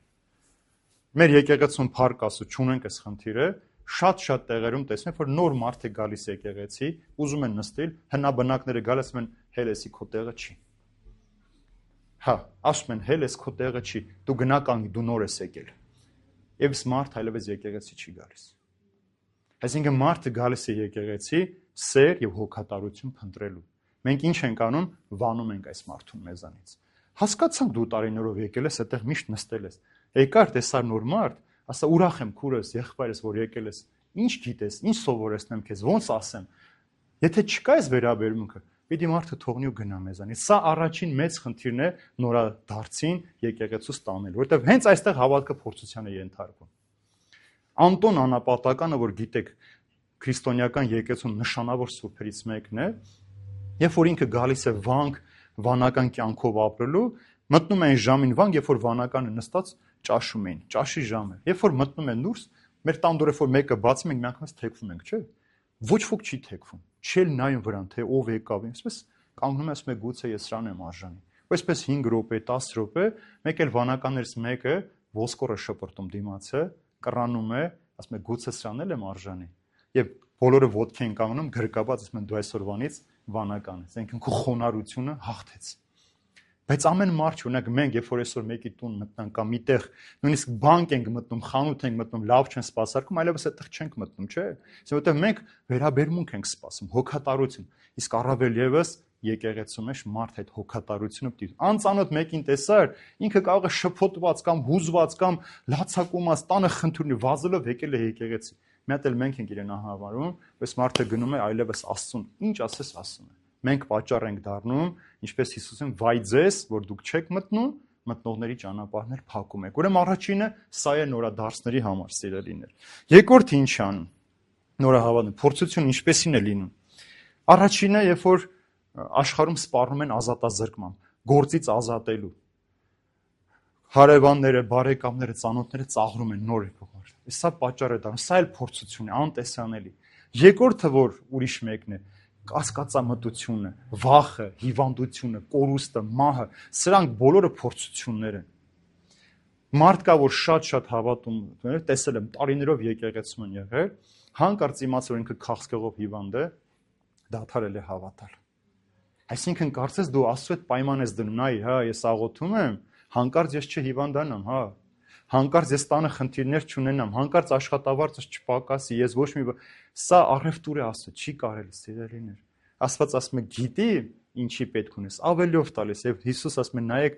Մեր եկեղեցում փառք Աստծո չունենք այս խնդիրը, շատ տեղերում տեսնենք, որ նոր մարդ է գալիս եկեղեցի, ուզում են նստել, հնաբնակները գալիս ասում են հելեսի քո տեղը չի։ Հա, ասում են հելես քո տեղը չի, դու գնա կանգ, դու նոր ես եկել։ Եվ մարդ այլևս եկեղեցի չի գալիս։ Այսինքն մարդը գալիս է եկեղեցի սեր եւ հոգատարություն փնտրելու։ Մենք ինչ ենք անում, վանում ենք այս մարդուն մեզանից։ Հասկացանք դու տարիներով եկել ես, այդտեղ միշտ նստել ես։ Եկար տեսար նոր մարդ, ասա ուրախ եմ քուրս, եղբայրս, որ եկել ես։ Ինչ գիտես, ինչ սովորեցնեմ քեզ, ոնց ասեմ։ Եթե չկա այս վերաբերմունքը, պիտի մարդը թողնի ու գնա մեզանից։ Սա առաջին մեծ խնդիրն է նորադարձին եկեղեցուց տանել, որովհետև հենց այստեղ հավատքը փորձության է ենթարկվում։ Անտոն Անապատականը, որ գիտեք, քրիստոնեական եկեղեցու նշանավոր սուրբերից մեկն է, երբ որ ինքը գալիս է վանք, վանական կյանքով ապրելու, մտնում են ժամին վանք, երբ որ վանականը նստած ճաշում էին, ճաշի ժամը։ Երբ որ մտնում են դուրս, մեր տան դուրը որ մեկը բացում ենք, միանգամից թեքվում ենք, չէ՞։ Ոչ ոք չի թեքվում։ Չել նայում վրան, թե ով եկավ, այսպես կանգնում է, ասում է գուցե ես սրան եմ արժանի։ Այսպես 5 րոպե, 10 րոպե, մեկ էլ վանականներից մեկը ոսկորը շպրտում դիմացը, կռանում է, ասում է գուցե սրան եմ արժանի։ Եվ բոլորը ոտքի են կանգնում, գրկաբաց ասում են դու այսօրվանից վանական ես, այսինքն քո խոնարհությունը հաղթեց։ Բայց ամեն մարդ չունեք մենք, երբ որ այսօր մեկի տուն մտնանք կամ միտեղ, նույնիսկ բանկ ենք մտնում, խանութ ենք մտնում, լավ չեն սպասարկում, այլևս այդտեղ չենք մտնում, չէ՞։ Որովհետև մենք վերաբերմունք ենք սպասում, հոգատարություն։ Իսկ առավել եւս եկեղեցու մեջ մարդ այդ հոգատարությունը պիտի։ Անծանոթ մեկին տեսար, ինքը կարող է շփոթված կամ հուզված կամ լացակումած տանը խնդրի վազելով եկել է եկեղեցի։ Մի հատ էլ մենք ենք իրեն ահավարում, բայց մարդը գնում է այլևս Աստծուն, ինչ ասես ասում է։ Մենք պատճառ ենք դառնում, ինչպես Հիսուսին, վայ ձեզ, որ դուք չեք մտնում, մտնողների ճանապարհներ փակում եք։ Ուրեմն առաջինը սա է նորադարձների համար, սիրելիներ։ Երկրորդը ինչ անում։ Նորահավատը փորձությունը ինչպեսին է լինում։ Առաջինը, երբ որ աշխարհում սպառնում են ազատազրկման, գործից ազատելու։ Հարևանները, բարեկամները, ծանոթները ծաղրում են նոր եկողներ։ Սա պատճառ է դառնում, սա էլ փորձություն է, անտեսանելի։ Երկրորդը, որ ուրիշ մեկն է, կասկածամտությունը, վախը, հիվանդությունը, կորուստը, մահը, սրանք բոլորը փորձություններ են։ Մարդ կա, որ շատ հավատում, տեսել եմ, տարիներով եկեղեցում են եղել, հանկարծ իմացել, որ ինքը քաղցկեղով հիվանդ է, դադարել է հավատալ։ Այսինքն կարծես դու Աստծո հետ պայման ես դնում, նայ, հա, ես աղոթում եմ, հանկարծ ես չհիվանդանամ, հա։ Հանկարծ ես տանը խնդիրներ չունենամ, հանկարծ աշխատավարձս չպակասի, ես ոչ մի սա առևտուր է Աստծո, չի կարելի սիրելիներ։ Աստված ասում է գիտի ինչի պետք ունես, ավելիով տալիս եւ Հիսուս ասում է նայեք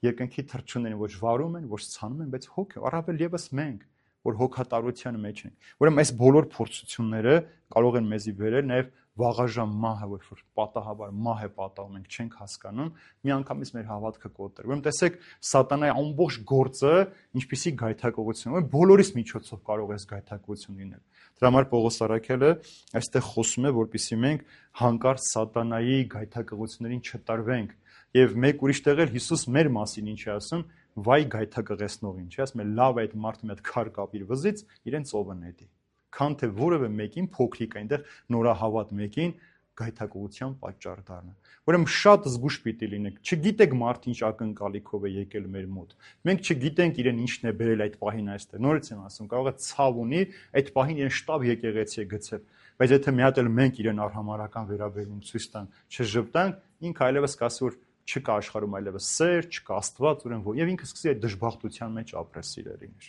երկնքի թռչուններին ոչ վարում են, ոչ ցանում են, բայց հոգ առավել եւս մենք, որ հոգատարության մեջ ենք։ Ուրեմն այս բոլոր փորձությունները կարող են մեզի բերել նաեւ վաղաժամ մահը, որ պատահաբար մահ է պատահում, մենք չենք հասկանում, միանգամից մեր հավատքը կոտրել։ Ուրեմն տեսեք, սատանայի ամբողջ գործը ինչպիսի գայթակղություն է, բոլորիս միջոցով կարող է գայթակղություն լինել։ Դրա համար Պողոս առաքյալը այստեղ խոսում է, որպեսզի մենք հանկարծ սատանայի գայթակղություններին չտարվենք։ Եվ մեկ ուրիշ տեղ էլ Հիսուս մեր մասին ինչ է ասում, վայ գայթակղեցնողին, չի ասում է լավ այդ մարդը մի հատ քար կապիր վզից, իրեն ծովը նետի։ Քան թե որևէ մեկին փոքրիկ այնտեղ նորահավատ մեկին գայթակղության պատճառ դառնա։ Ուրեմն շատ զգուշ պիտի լինենք։ Չգիտեք մարդը ինչ ակնկալիքով է եկել մեր մոտ։ Մենք չգիտենք իրեն ինչն է բերել այդ պահին այստեղ։ Նորից եմ ասում, կարող է ցավ ունի, այդ պահին իրեն շտապ եկեղեցի է գցել։ Բայց եթե մի հատ էլ մենք իրեն արհամարական վերաբերմունք ցույց տանք, չժպտանք, ինքը այլևս կասի որ չկա աշխարհում այլևս սեր, չկա Աստված, ուրեմն եւ ինքը սկսի այդ դժբախտության մեջ ապրել սիրելիներ։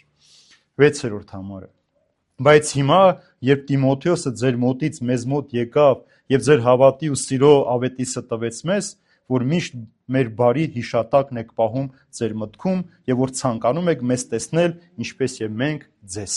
6-րդ համարը։ Բայց հիմա, երբ Տիմոթեոսը ձեր մոտից մեզ մոտ եկավ եւ ձեր հավատի ու սիրո ավետիսը տվեց մեզ, որ միշտ մեր բարի հիշատակն եք պահում ձեր մտքում եւ որ ցանկանում եք մեզ տեսնել, ինչպես եւ մենք ձեզ։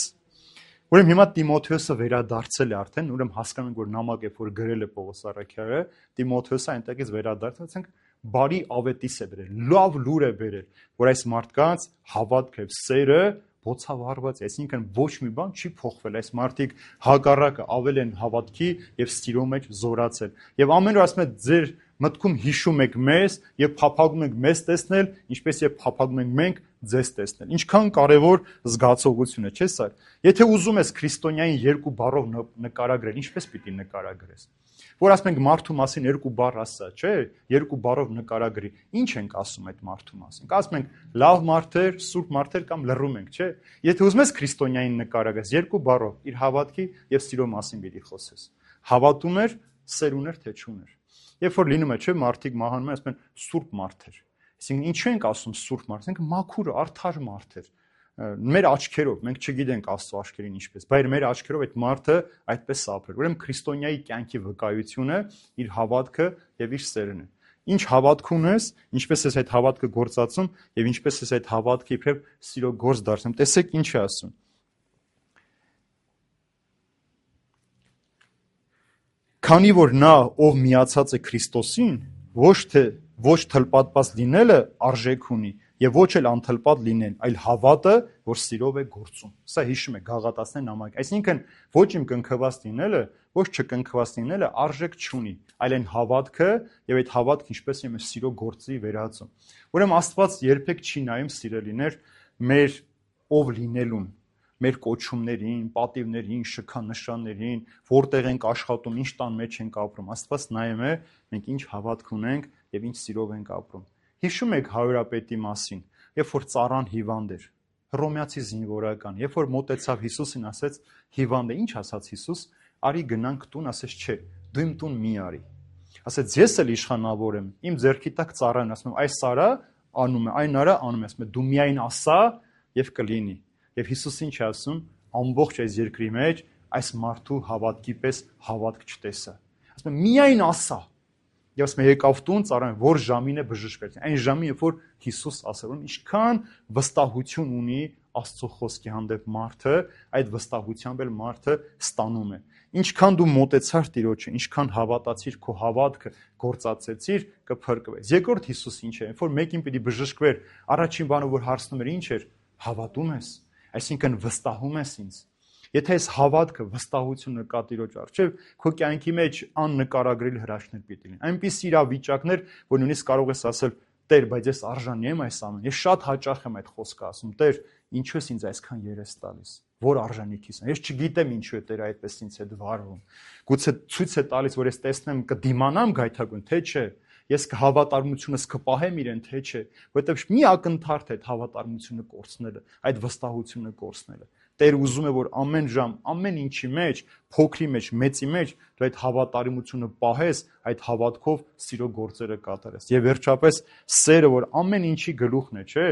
Ուրեմն հիմա Տիմոթեոսը վերադարձել է արդեն, ուրեմն հասկանում ենք որ նամակ է որ գրել է Պողոս առաքյալը, Տիմոթեոսը այնտեղից վերադարձած ենք բարի ավետիս է բերել, լավ լուր է բերել, որ այս մարդկանց հավատքը եւ սերը բոցավառված է, այսինքն ոչ մի բան չի փոխվել, այս մարդիկ հակառակը ավել են հավատքի եւ սիրո մեջ զորացել։ Եվ ամեն օր ասում է ձեր մտքում հիշում եք մեզ եւ փափագում եք մեզ տեսնել, ինչպես եւ փափագում ենք մենք ձեզ տեսնել։ Ինչքան կարեւոր զգացողություն է, չէ՞ սա։ Եթե ուզում ես քրիստոնյային երկու բառով նկարագրել, ինչպես պիտի նկարագրես։ Որ ասում ենք մարդու մասին երկու բառ ասա, չէ՞, երկու բառով նկարագրի։ Ինչ ենք ասում այդ մարդու մասին։ Ասում ենք լավ մարդեր, սուրբ մարդեր կամ լռում ենք, չէ՞։ Եթե ուզում ես քրիստոնյային նկարագրես երկու բառով, իր հավատքի եւ սիրո մասին պիտի խոսես։ Հավատում էր, սեր ուներ, թե չուներ։ Երբ որ լինում է, չէ՞, մարդիկ մահանում են, ասում են սուրբ մարդեր։ Այսինքն ինչու ենք ասում սուրբ մարդ, ասենք մաքուր, արդար մարդեր։ Մեր աչքերով, մենք չգիտենք Աստծո աչքերին ինչպես, բայց մեր աչքերով այդ մարդը այդպես ապրել։ Ուրեմն քրիստոնյայի կյանքի վկայությունը իր հավատքը եւ իր սերն է։ Ինչ հավատք ունես, ինչպես ես այդ հավատքը գործածում եւ ինչպես ես այդ հավատքը իբրև սիրո գործ դարձնում։ Տեսեք ինչ է ասում։ Քանի որ նա, ով միացած է Քրիստոսին, ոչ թլպատված լինելը արժեք ունի եւ ոչ էլ անթլպատ լինեն, այլ հավատը, որ սիրով է գործում։ Սա հիշում է Գաղատացիներ նամակը։ Այսինքն ոչ իմ կնքված լինելը, ոչ չկնքված լինելը արժեք չունի, այլ այն հավատքը եւ այդ հավատքը ինչպես եմ սիրո գործի վերածում։ Ուրեմն Աստված երբեք չի նայում սիրելիներ մեր ով լինելուն, մեր կոչումներին, պատիվներին, շքանշաններին, որտեղ ենք աշխատում, ինչ տան մեջ ենք ապրում։ Աստված նայում է մենք ինչ հավատք ունենք եւ ինչ սիրով ենք ապրում։ Հիշում եք հարուրապետի մասին, երբ որ ծառան հիվանդ էր, հռոմեացի զինվորական, երբ որ մոտեցավ Հիսուսին, ասեց հիվանդ է, ինչ ասաց Հիսուս, արի գնանք տուն, ասեց չէ, դու իմ տուն մի արի։ Ասեց ես էլ իշխանավոր եմ, իմ ձեռքի տակ ծառան, ասում եմ այս սարա անում է, այն արա անում է, ասում է դու միայն ասա եւ կլինի։ Եվ Հիսուսը ինչ է ասում, ամբողջ այս երկրի մեջ այս մարդու հավատքի պես հավատք չտեսա։ Ասում է միայն ասա։ Եվ ասում է եկավ տուն ծառան, որ ժամին է բժշկվեց։ Այն ժամին, երբ որ Հիսուս ասել, ինչքան վստահություն ունի Աստծո խոսքի հանդեպ մարդը, այդ վստահությամբ էլ մարդը ստանում է։ Ինչքան դու մոտեցար Տիրոջը, ինչքան հավատացիր, քո հավատքը գործածեցիր, կփրկվես։ Երկրորդ Հիսուս ինչ է, երբ որ մեկին պիտի բժշկվեր, առաջին բանը որ հարցնում էր, ինչ էր, հավատում ես, այսինքն վստահում ես ինձ։ Եթե այս հավատքը, վստահությունը կա Տիրոջ առջև, քո կյանքի մեջ աննկարագրելի հրաշքներ պիտի լինեն։ Այնպիսի իրավիճակներ, որ նույնիսկ կարող ես ասել, Տեր, բայց ես արժանի եմ այս ամեն։ Ես շատ հաճախ եմ այդ խոսքը ասում, Տեր, ինչու ես ինձ այսքան երես տալիս։ Որ արժանիքիս եմ։ Ես չգիտեմ ինչու է Տերը այդպես ինձ հետ վարվում։ Գուցե ցույց է տալիս, որ ես տեսնեմ կդիմանամ գայթակղուն, թե չէ։ Ես հավատարմությունս կպահեմ իրեն, թե չէ, որովհետև մի ակնթարթ է այդ հավատարմությունը կորցնելը, այդ վստահությունը կորցնելը։ Տեր ուզում է, որ ամեն ժամ, ամեն ինչի մեջ, փոքրի մեջ, մեծի մեջ դու այդ հավատարմությունը պահես, այդ հավատքով սիրո գործերը կատարես։ Եվ վերջապես սերը, որ ամեն ինչի գլուխն է, չէ՞։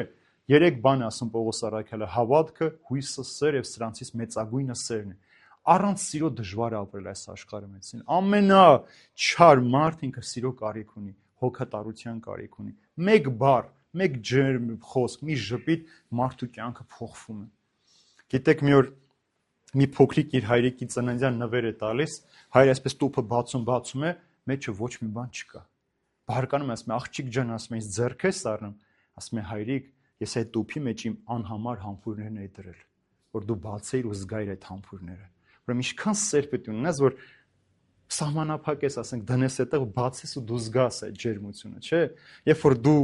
Երեք բան է ասում Պողոս առաքյալը՝ հավատքը, հույսը, սերը եւ սրանցից մեծագույնը սերն է։ Առանց սիրո դժվար է ապրել այս աշխարհի մեջ։ Ամենաչար մարդ ինքը սիրո կարիք ունի, հոգատարության կարիք ունի։ Մեկ բառ, մեկ ջերմ խոսք, մի ժպիտ մարդու կյանքը փոխվում է։ Գիտեք, մի օր մի փոքրիկ իր հայրիկի ծննդյան նվեր է տալիս, հայրը այսպես տուփը բացում է, մեջը ոչ մի բան չկա։ Բարկանում ասում է, աղջիկ ջան, ասում է, ինձ ձեռք ես առնում, ասում է, հայրիկ, ես այդ տուփի մեջ իմ անհամար համբույրներն էի դրել, որ դու բացեիր ու զգայիր այդ համբույրները։ Ուրեմն ինչքան սեր պետք է ունենաս, որ սահմանափակես, ասենք, դնես այդտեղ, բացես ու դու զգաս այդ ջերմությունը, չէ՞։ Երբ որ դու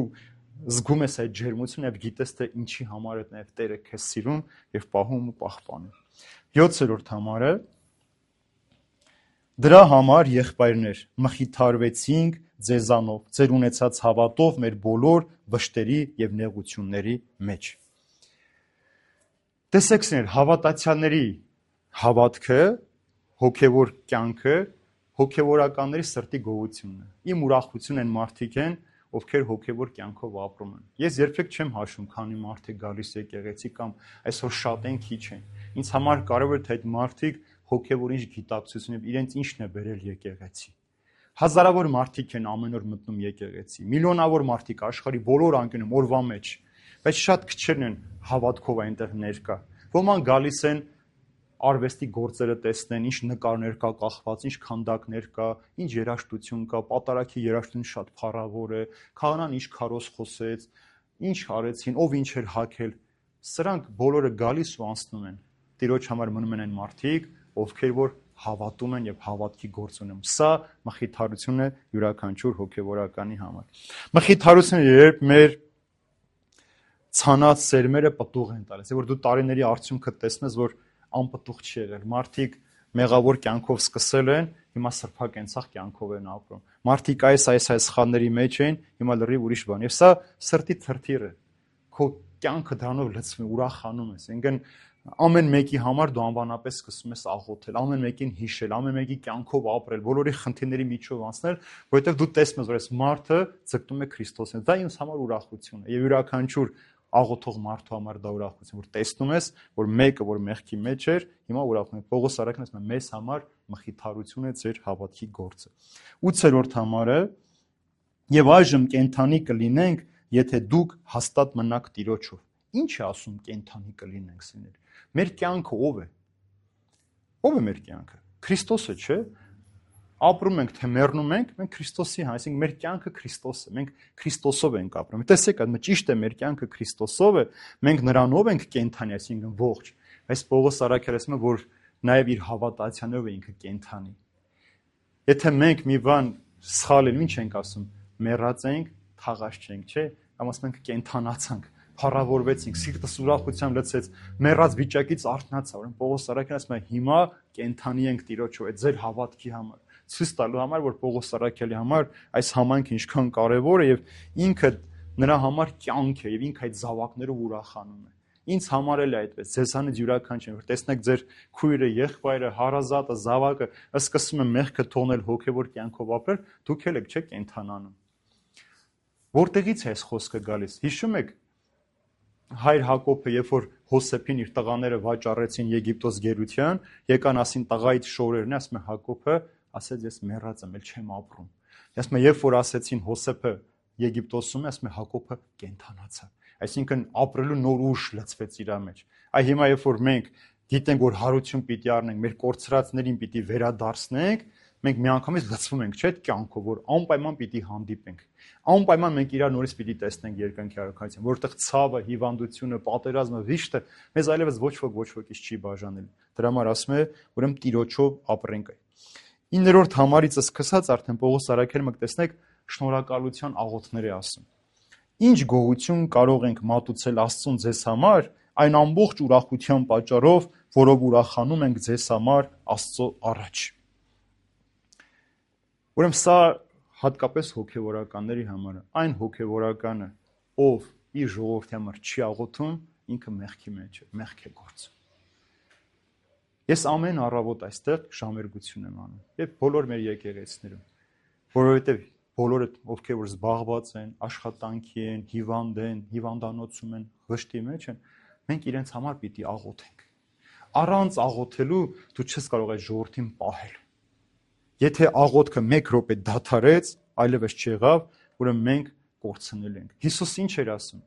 զգում ես այդ ջերմությունը եւ գիտես թե ինչի համար է նաեւ Տերը քեզ սիրում եւ պահում ու պահպանում։ 7-րդ համարը դրա համար եղբայրներ մխիթարվեցինք ձեզանով, ձեր ունեցած հավատով մեր բոլոր վշտերի եւ նեղությունների մեջ։ Տեսեք, սեր, հավատացյալների հավատքը, հոգևոր կյանքը, հոգևորականների սրտի գոհությունն է։ Իմ ուրախություն են մարդիկ են, ովքեր հոգևոր կյանքով ապրում են։ Ես երբեք չեմ հաշվում, քանի մարդ է գալիս եկեղեցի կամ այսօր շատ են, քիչ են։ Ինձ համար կարևոր է թե այդ մարդիկ հոգևոր ինչ գիտակցություն եւ իրենց ինչն է բերել եկեղեցի։ Հազարավոր մարդիկ են ամեն օր մտնում եկեղեցի, միլիոնավոր մարդիկ աշխարհի բոլոր անկյունում օրվա մեջ, բայց շատ քչերն են հավատքով այնտեղ ներկա։ Ոմանք գալիս են արվեստի գործերը տեսնեն, ինչ նկարներ կա կախված, ինչ քանդակներ կա, ինչ երաժշտություն կա, պատարագի երաժշտություն շատ փառավոր է, քահանան ինչ քարոզ խոսեց, ինչ արեցին, ով ինչ էր հագել։ Սրանք բոլորը գալիս ու անցնում են։ Տիրոջ համար մնում են այն մարդիկ, ովքեր որ հավատում են եւ հավատքի գործ ունեն։ Սա մխիթարություն է յուրաքանչյուր հոգեվորականի համար։ Մխիթարությունը երբ մեր ցանած սերմերը պտուղ են տալիս, որ դու տարիների արդյունքը տեսնես, որ անպտուղ չի եղել։ Մարդիկ մեղավոր կյանքով սկսել են, հիմա սրբակենցաղ կյանքով են ապրում։ Մարդիկ այս սխալների մեջ են, հիմա լրիվ ուրիշ բան։ Եվ սա սրտի թրթիռ է։ Քո կյանքը դրանով լցվում է, ուրախանում ես։ Ինքն ամեն մեկի համար դու անվանապես սկսում ես աղոթել, ամեն մեկին հիշել, ամեն մեկի կյանքով ապրել, բոլորի խնդիրների միջով անցնել, որովհետև դու տեսնում ես, որ այս մարդը ձգտում է Քրիստոսին։ Դա ինձ համար ուրախություն է։ Եվ յուրաքանչյուր աղոթող մարդու համար դա ուրախություն, որ տեսնում ես, որ մեկը, որ մեղքի մեջ էր, հիմա ուրախում է։ Պողոս առաքյալն ասում է, մեզ համար մխիթարություն է ձեր հավատքի գործը։ 8-րդ համարը, եւ այժմ կենթանի կլինենք, եթե դուք հաստատ մնաք Տիրոջով։ Ինչ է ասում կենթանի կլինենք, սիրներ։ Մեր կյանքը ով է։ Ով է մեր կյանքը։ Քրիստոսը, չէ՞։ Ապրում ենք, թե մեռնում ենք, մենք Քրիստոսի հա, այսինքն մեր կյանքը Քրիստոս է, մենք Քրիստոսով ենք ապրում։ Տեսեք, այդ ճիշտ է, մեր կյանքը Քրիստոսով է, մենք նրանով ենք կենթանի, այսինքն ողջ։ Այս Պողոս առաքյալը ասում է, որ նաև իր հավատացյալով է ինքը կենթանի։ Եթե մենք մի բան սխալ ենք, ինչ ենք ասում, մեռած ենք, թաղած չենք, չէ՞, կամ ասում ենք կենթանացանք, փառավորվեցինք, սիրտս ուրախությամբ լցեց, մեռած վիճակից արթնացա, ուրեմն Պողոս առաքյալը ասում է, հիմա կենթանի ենք Տիրոջով, այդ ձեր հավատքի համար, ցույց տալու համար, որ Պողոս առաքյալի համար այս համայնքը ինչքան կարևոր է եւ ինքը նրա համար կյանք է եւ ինքը այդ զավակներով ուրախանում է։ Ինձ համար էլ է այդպես, ձեզանից յուրաքանչյուր, որ տեսնեք ձեր քույրը, եղբայրը, հարազատը, զավակը, սկսում է մեղքը թողնել հոգեվոր կյանքով ապրել, դուք էլ եք, չէ՞, կենթանանում։ Որտեղից է այս խոսքը գալիս։ Հիշում եք հայր Հակոբը, երբ որ Հոսեփին իր տղաները վաճառեցին Եգիպտոս գերության, եկան ասին տղայից շորերն, ասում է Հակոբը, ասեց ես մեռած եմ, ել չեմ ապրում։ Ասում է երբ որ ասեցին Հոսեփը Եգիպտոսում, ասում է Հակոբը կենթանացավ։ Այսինքն ապրելու նոր ուժ լցվեց իր մեջ։ Այ հիմա երբ որ մենք գիտենք, որ հարություն պիտի առնենք, մեր կորցրածներին պիտի վերադարձնենք, մենք միանգամից լցվում ենք, չէ՞, այդ կյանքով, որ անպայման պիտի հանդիպենք։ Անպայման մենք իրար նորից պիտի տեսնենք երկնքի արքայության, որտեղ ցավը, հիվանդությունը, պատերազմը, վիշտը մեզ այլևս ոչ ոքից չի բաժանել։ Դրա համար ասում է, ուրեմն Տիրոջով ապրենք։ 9-րդ համարից սկսած արդեն Պողոս առաքյալը մենք տեսնենք շնորհակալության աղոթներ է ասում։ Ինչ գոհություն կարող ենք մատուցել Աստծուն ձեզ համար, այն ամբողջ ուրախության պատճառով, որով ուրախանում ենք ձեզ համար Աստծո առաջ։ Ուրեմն սա հատկապես հոգևորականների համար է։ Այն հոգևորականը, ով իր ժողովրդի համար չի աղոթում, ինքը մեղքի մեջ է, մեղք է գործում։ Ես ամեն առավոտ այստեղ ժամերգություն եմ անում, եւ բոլոր մեր եկեղեցիներում, որովհետեւ բոլորը ովքեր որ զբաղված են, աշխատանքի են, հիվանդ են, հիվանդանոցում են, վշտի մեջ են, մենք իրենց համար պիտի աղոթենք։ Առանց աղոթելու դու չես կարող այդ ժողովրդին պահել։ Եթե աղոթքը 1 րոպե դադարեց, այլևս չեղավ, ուրեմն մենք կորցնել ենք։ Հիսուս ինչ էր ասում։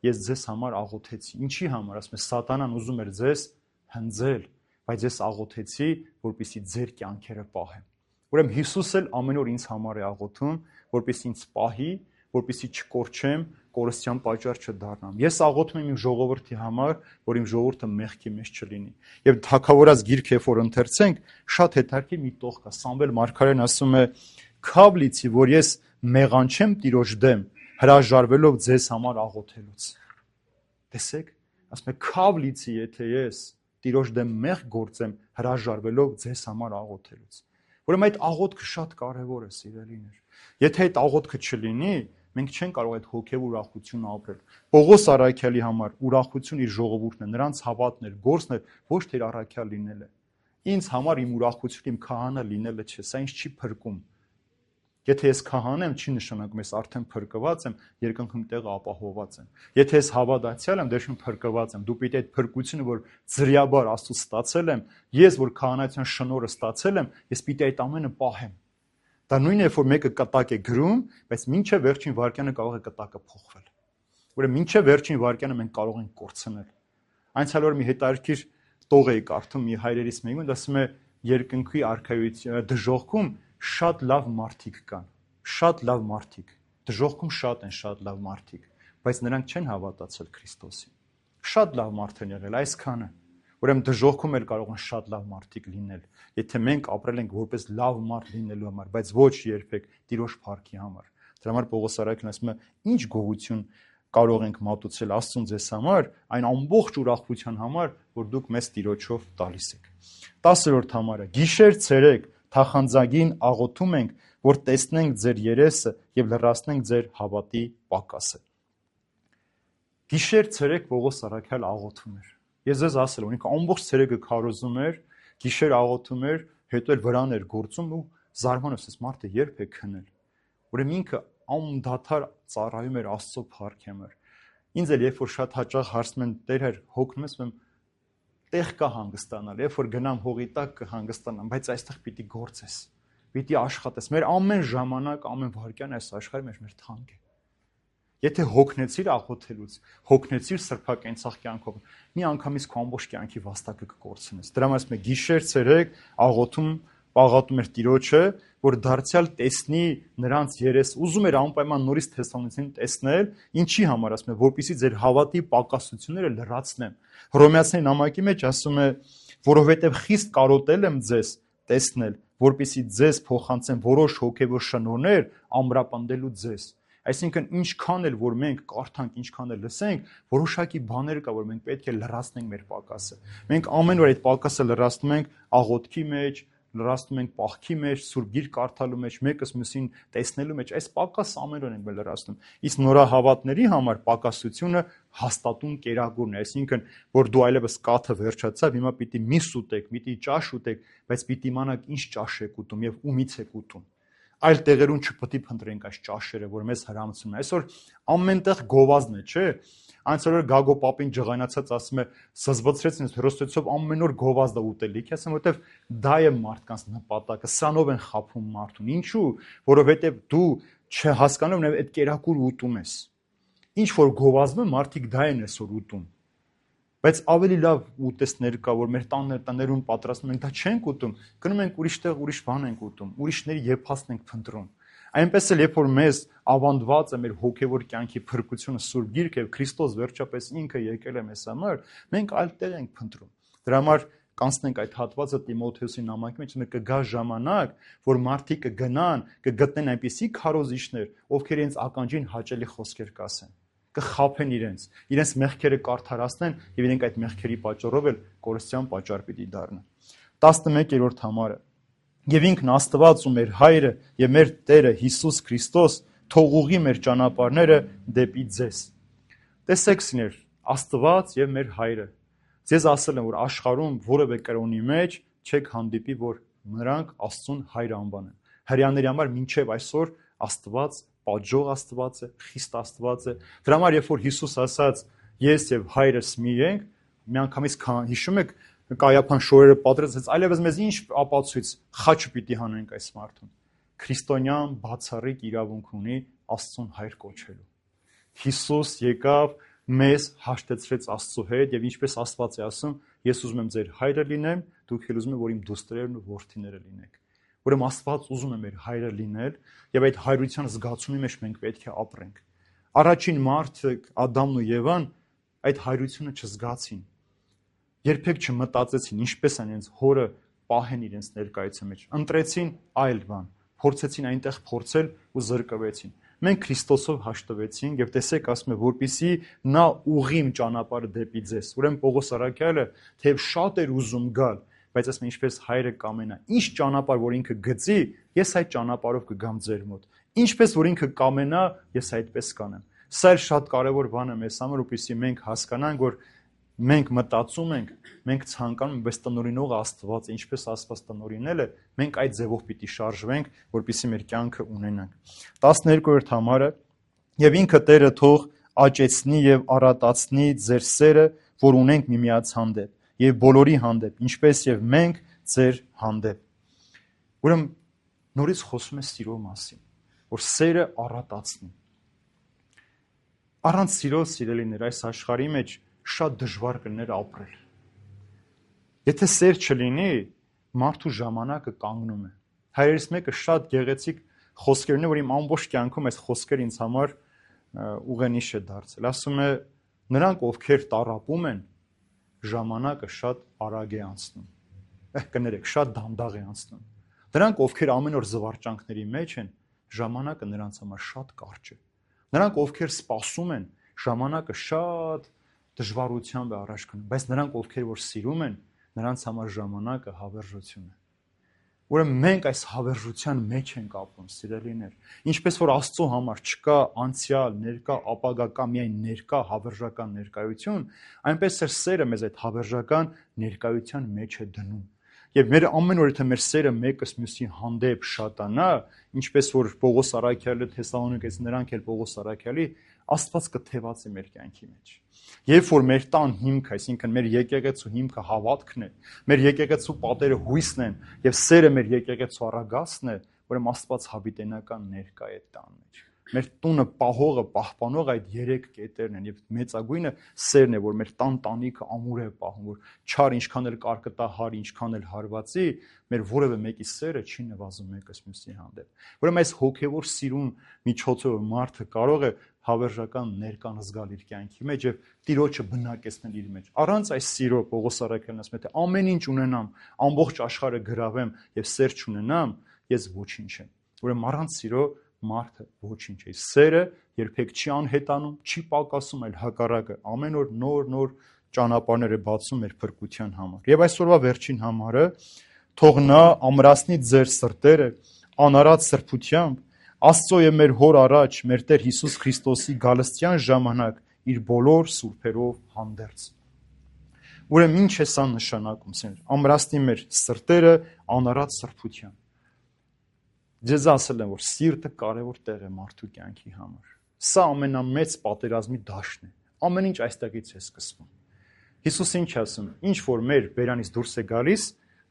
Ես ձեզ համար աղոթեցի։ Ինչի համար, ասում է, սատանան ուզում էր ձեզ հնձել, բայց ես աղոթեցի, որպեսզի ձեր կյանքերը պահեմ։ Ուրեմն Հիսուս էլ ամեն օր ինձ համար է աղոթում, որպեսզի ինձ պահի, որպեսզի չկորչեմ, կորստյան պատճառ չդառնամ։ Ես աղոթում եմ իմ ժողովրդի համար, որ իմ ժողովուրդը մեղքի մեջ չլինի։ Եվ Թագավորաց գիրքը, երբ որ ընթերցենք, շատ հետաքրքիր մի տող կա։ Սամվել մարգարեն ասում է. «Քավ լիցի, որ ես մեղանչեմ Տիրոջ դեմ, հրաժարվելով ձեզ համար աղոթելուց»։ Տեսեք, ասում է քավ լիցի, եթե ես Տիրոջ դեմ մեղ գործեմ, հրաժարվելով ձեզ համար աղոթելուց։ Ուրեմն այդ աղոթքը շատ կարևոր է, սիրելիներ։ Եթե այդ աղոթքը չլինի, մենք չենք կարող այդ հոգև ուրախությունը ապրել։ Պողոս առաքյալի համար ուրախություն իր ժողովուրդն է, նրանց հավատն էր, գործն էր, ոչ թե առաքյալ լինելը։ Ինձ համար իմ ուրախությունը իմ քահանա լինելը չէ, սա ինձ չի փրկում։ Եթե ես քահան եմ, չի նշանակում ես արդեն փրկված եմ, երկնքում տեղը ապահովված եմ։ Եթե ես հավատացյալ եմ, դեռ փրկված եմ։ Դու պիտի այդ փրկությունը, որ ձրիաբար Աստծուց ստացել եմ, ես որ քահանայության շնորհը ստացել եմ, ես պիտի այդ ամենը պահեմ։ Դա նույնն է, որ մեկը կտակ է գրում, բայց մինչև վերջին վայրկյանը կարող է կտակը փոխվել։ Ուրեմն մինչև վերջին վայրկյանը մենք կարող ենք կորցնել։ Այնցալ որ մի հետաքրքիր տող էի կարդում մի հայրերից մեկին, ասում է երկնքի արքայության դժոխքում շատ լավ մարդիկ կան, շատ լավ մարդիկ, դժոխքում շատ են շատ լավ մարդիկ, բայց նրանք չեն հավատացել Քրիստոսին։ Շատ լավ մարդ են եղել այսքանը։ Ուրեմն դժոխքում էլ կարող են շատ լավ մարդիկ լինել, եթե մենք ապրել ենք որպես լավ մարդ լինելու համար, բայց ոչ երբեք Տիրոջ փառքի համար։ Դրա համար Պողոս առաքյալն ասում է, ինչ գողություն կարող ենք մատուցել Աստծուն ձեզ համար, այն ամբողջ ուրախության համար, որ դուք մեզ Տիրոջով տալիս եք։ 10-րդ համարը. Գիշեր ցերեկ թախանձագին աղոթում ենք, որ տեսնենք ձեր երեսը եւ լրացնենք ձեր հավատի պակասը։ Գիշեր ցերեկ Պողոս առաքյալ աղոթում էր։ Ես ձեզ ասել եմ, ինքը ամբողջ ցերեկը քարոզում էր, գիշեր աղոթում էր, հետո էլ վրան էր գործում ու զարմանում էր, մարդը երբ է քնել։ Ուրեմն ինքը անդադար ծառայում էր Աստծո փառքի։ Ինձ էլ երբ որ շատ հաճախ հարցնում են Տեր հոգնում ես, տեղ կա հանգստանալ, երբ որ գնամ հողի տակ կհանգստանամ, բայց այստեղ պիտի գործես, պիտի աշխատես։ Մեր ամեն ժամանակ, ամեն վայրկյան այս աշխարհի մեջ մեր թանկ է։ Եթե հոգնեցիր աղոթելուց, հոգնեցիր սրբակենցաղ կյանքով, մի անգամից քո ամբողջ կյանքի վաստակը կկորցնես։ Դրա համար ասում է գիշեր ցերեկ աղոթում, պաղատում էր Տիրոջը, որ դարձյալ տեսնի նրանց երես, ուզում էր անպայման նորից Թեսաղոնիկին տեսնել, ինչի համար ասում է, որպեսզի ձեր հավատի պակասությունները լրացնեմ։ Հռոմեացիների նամակի մեջ ասում է, որովհետև խիստ կարոտել եմ ձեզ տեսնել, որպեսզի ձեզ փոխանցեմ որոշ հոգևոր շնորհներ ամրապնդելու ձեզ։ Այսինքն ինչքան էլ որ մենք կարդանք, ինչքան էլ լսենք, որոշակի բաներ կա, որ մենք պետք է լրացնենք մեր պակասը։ Մենք ամեն օր այդ պակասը լրացնում ենք աղոթքի մեջ, լրացնում ենք պահքի մեջ, Սուրբ Գիրք կարդալու մեջ, մեկս մյուսին տեսնելու մեջ, այս պակասը ամեն օր ենք լրացնում։ Իսկ նորահավատների համար պակասությունը հաստատուն կերակուրն է, այսինքն որ դու այլևս կաթը վերջացավ, հիմա պիտի միս ուտեք, պիտի ճաշ ուտեք, բայց պիտի իմանաք ինչ ճաշ եք ուտում եւ ումից եք ուտում։ Այլ տեղերում չպետք է փնտրենք այս ճաշերը, որ մեզ հրամցում են։ Այսօր ամենտեղ գովազդն է, չէ՞։ Այնց որ Գագո Պապին ջղայնացած ասում է, սզվցրեց ինձ հերոսեցով ամեն օր գովազդը ուտելիք, ասեմ, որովհետև դա է մարդկանց նպատակը, սրանով են խաբում մարդուն։ Ինչու՞, որովհետև դու չհասկանում նաև այդ կերակուր ուտում ես։ Ինչ որ գովազդում մարդիկ դա են այսօր ուտում։ Բայց ավելի լավ ուտեստներ կա, որ մեր տաներում պատրաստում ենք, դա չենք ուտում, գնում ենք ուրիշ տեղ, ուրիշ բան ենք ուտում, ուրիշների եփածն ենք փնտրում։ Այնպես էլ երբ որ մեզ ավանդված է մեր հոգևոր կյանքի փրկությունը Սուրբ Գիրքը եւ Քրիստոս վերջապես ինքը եկել է մեզ համար, մենք այլ տեղ ենք փնտրում։ Դրա համար կանցնենք այդ հատվածը Տիմոթեոսի նամակի մեջ, կգա ժամանակ, որ մարդիկ կգնան, կգտնեն այնպիսի քարոզիչներ, ովքեր իրենց ականջին հաճելի խոսքեր կասեն, կխաբեն իրենց մեղքերը կարդարացնեն եւ իրենք այդ մեղքերի պատճառով էլ կորստյան պատճառ պիտի դառնան։ 11-րդ համարը. Եվ ինքն Աստված ու մեր Հայրը եւ մեր Տերը Հիսուս Քրիստոս թող ուղղի մեր ճանապարհները դեպի ձեզ։ Տեսեք սիրեր, Աստված եւ մեր Հայրը։ Ձեզ ասել եմ, որ աշխարհում որևէ կրոնի մեջ չեք հանդիպի, որ նրանք Աստծուն Հայր անվանեն։ Հрьяաների համար մինչև այսօր Աստված, պատժող Աստված է, խիստ Աստված է։ Դրա համար երբ որ Հիսուս ասաց ես եւ Հայրս մի ենք, միանգամից հիշում եք Կայափան շորերը պատրաստեց, այլևս մեզ ինչ ապացույց խաչը պիտի հանենք այս մարդուն։ Քրիստոնյան բացառիկ իրավունք ունի Աստծուն Հայր կոչելու։ Հիսուս եկավ, մեզ հաշտեցրեց Աստծո հետ եւ ինչպես Աստված է ասում, ես ուզում եմ ձեր հայրը լինեմ, դուք էլ ուզում եք որ իմ դուստրերն ու որդիները լինեք։ Ուրեմն Աստված ուզում է մեր հայրը լինել եւ այդ հայրության զգացումի մեջ մենք պետք է ապրենք։ Առաջին մարդը Ադամն ու Եվան այդ հայրությունը չզգացին։ Երբեք չմտածեցին ինչպես են իրենց հորը պահեն իրենց ներկայության մեջ։ Ընտրեցին այլ բան, փորձեցին այնտեղ փորձել ու զրկվեցին։ Մենք Քրիստոսով հաշտվեցինք եւ տեսեք ասում է որպիսի նա ուղիմ ճանապարհը դեպի ձեզ։ Ուրեմն Պողոս առաքյալը թեև շատ էր ուզում գալ, բայց ասում է ինչպես հայրը կամենա, ինչ ճանապարհ որ ինքը գծի, ես այդ ճանապարհով կգամ ձեր մոտ։ Ինչպես որ ինքը կամենա, ես այդպես կանեմ։ Սա էլ շատ կարևոր բան է մեզ համար, որպեսզի մենք հասկանանք, որ մենք մտածում ենք, մենք ցանկանում ենք, բայց տնօրինողը Աստված է, ինչպես Աստված տնօրինել է, մենք այդ ձևով պիտի շարժվենք, որպեսզի մեր կյանքը ունենանք։ 12-րդ համարը եւ ինքը Տերը թող աճեցնի եւ առատացնի ձեր սերը, որ ունենք միմյանց հանդեպ եւ բոլորի հանդեպ, ինչպես եւ մենք ձեր հանդեպ։ Ուրեմն նորից խոսում է սիրո մասին, որ սերը առատացնի։ Առանց սիրո սիրելիներ այս աշխարհի մեջ շատ դժվար կլիներ ապրել։ Եթե սեր չլինի, մարդու ժամանակը կանգնում է։ Հայրերից մեկը շատ գեղեցիկ խոսքեր ունի, որ իմ ամբողջ կյանքում այս խոսքերը ինձ համար ուղենիշ է դարձել։ Ասում է, նրանք ովքեր տառապում են, ժամանակը շատ արագ է անցնում։ Կներեք, շատ դանդաղ է անցնում։ Նրանք ովքեր ամեն օր զվարճանքների մեջ են, ժամանակը նրանց համար շատ կարճ է։ Նրանք ովքեր սպասում են, ժամանակը շատ դժվարությամբ է առաջ գնում, բայց նրանք ովքեր որ սիրում են, նրանց համար ժամանակը հավերժություն է։ Ուրեմն մենք այս հավերժության մեջ ենք ապրում, սիրելիներ։ Ինչպես որ Աստծո համար չկա անցյալ, ներկա, ապագա, կա միայն ներկա հավերժական ներկայություն, այնպես էլ սերը մեզ այդ հավերժական ներկայության մեջ է դնում։ Եվ մեր ամեն օր եթե մեր սերը մեկս մյուսի հանդեպ շատանա, ինչպես որ Պողոս առաքյալը Թեսաղոնիկես նրանք էլ Պողոս առաքյալի, Աստված կթևածի մեր կյանքի մեջ։ Երբ որ մեր տան հիմքը, այսինքն մեր եկեղեցու հիմքը հավատքն է, մեր եկեղեցու պատերը հույսն են եւ սերը մեր եկեղեցու առագաստն է, ուրեմն Աստված հավիտենական ներկա է տան մեջ։ Մեր տունը պահողը, պահպանողը այդ երեք կետերն են եւ մեծագույնը սերն է, որ մեր տանտանիքը ամուր է պահում, որ չար ինչքան էլ կարկտահար, ինչքան էլ հարվածի, մեր որևէ մեկի սերը չի նվազում մեկս մյուսի հանդեպ։ Ուրեմն այս հոգեվոր սիրուն միջոցով մարդը կարող է հավերժական ներկան զգալ իր կյանքի մեջ եւ Տիրոջը բնակեցնել իր մեջ։ Առանց այս սիրո Պողոս առաքյալն ասում է, թե ամեն ինչ ունենամ, ամբողջ աշխարհը գրավեմ եւ սեր չունենամ, ես ոչինչ եմ։ Ուրեմն առանց սիրո մարդը ոչինչ է։ Սերը երբեք չի անհետանում, չի պակասում, այլ հակառակը ամեն օր նոր ճանապարհներ է բացում մեր փրկության համար։ Եվ այսօրվա վերջին համարը թող նա ամրացնի ձեր սրտերը անարատ սրբությամբ Աստծո եւ մեր հոր առաջ մեր Տեր Հիսուս Քրիստոսի գալստյան ժամանակ իր բոլոր սուրբերով հանդերձ։ Ուրեմն ինչ է սա նշանակում, սեր, ամրացնի մեր սրտերը անարատ սրբությամբ։ Ձեզ ասել եմ, որ սիրտը կարևոր տեղ է մարդու կյանքի համար։ Սա ամենամեծ պատերազմի դաշտն է։ Ամեն ինչ այստեղից է սկսվում։ Հիսուս ինչ ասում, ինչ որ մեր բերանից դուրս է գալիս,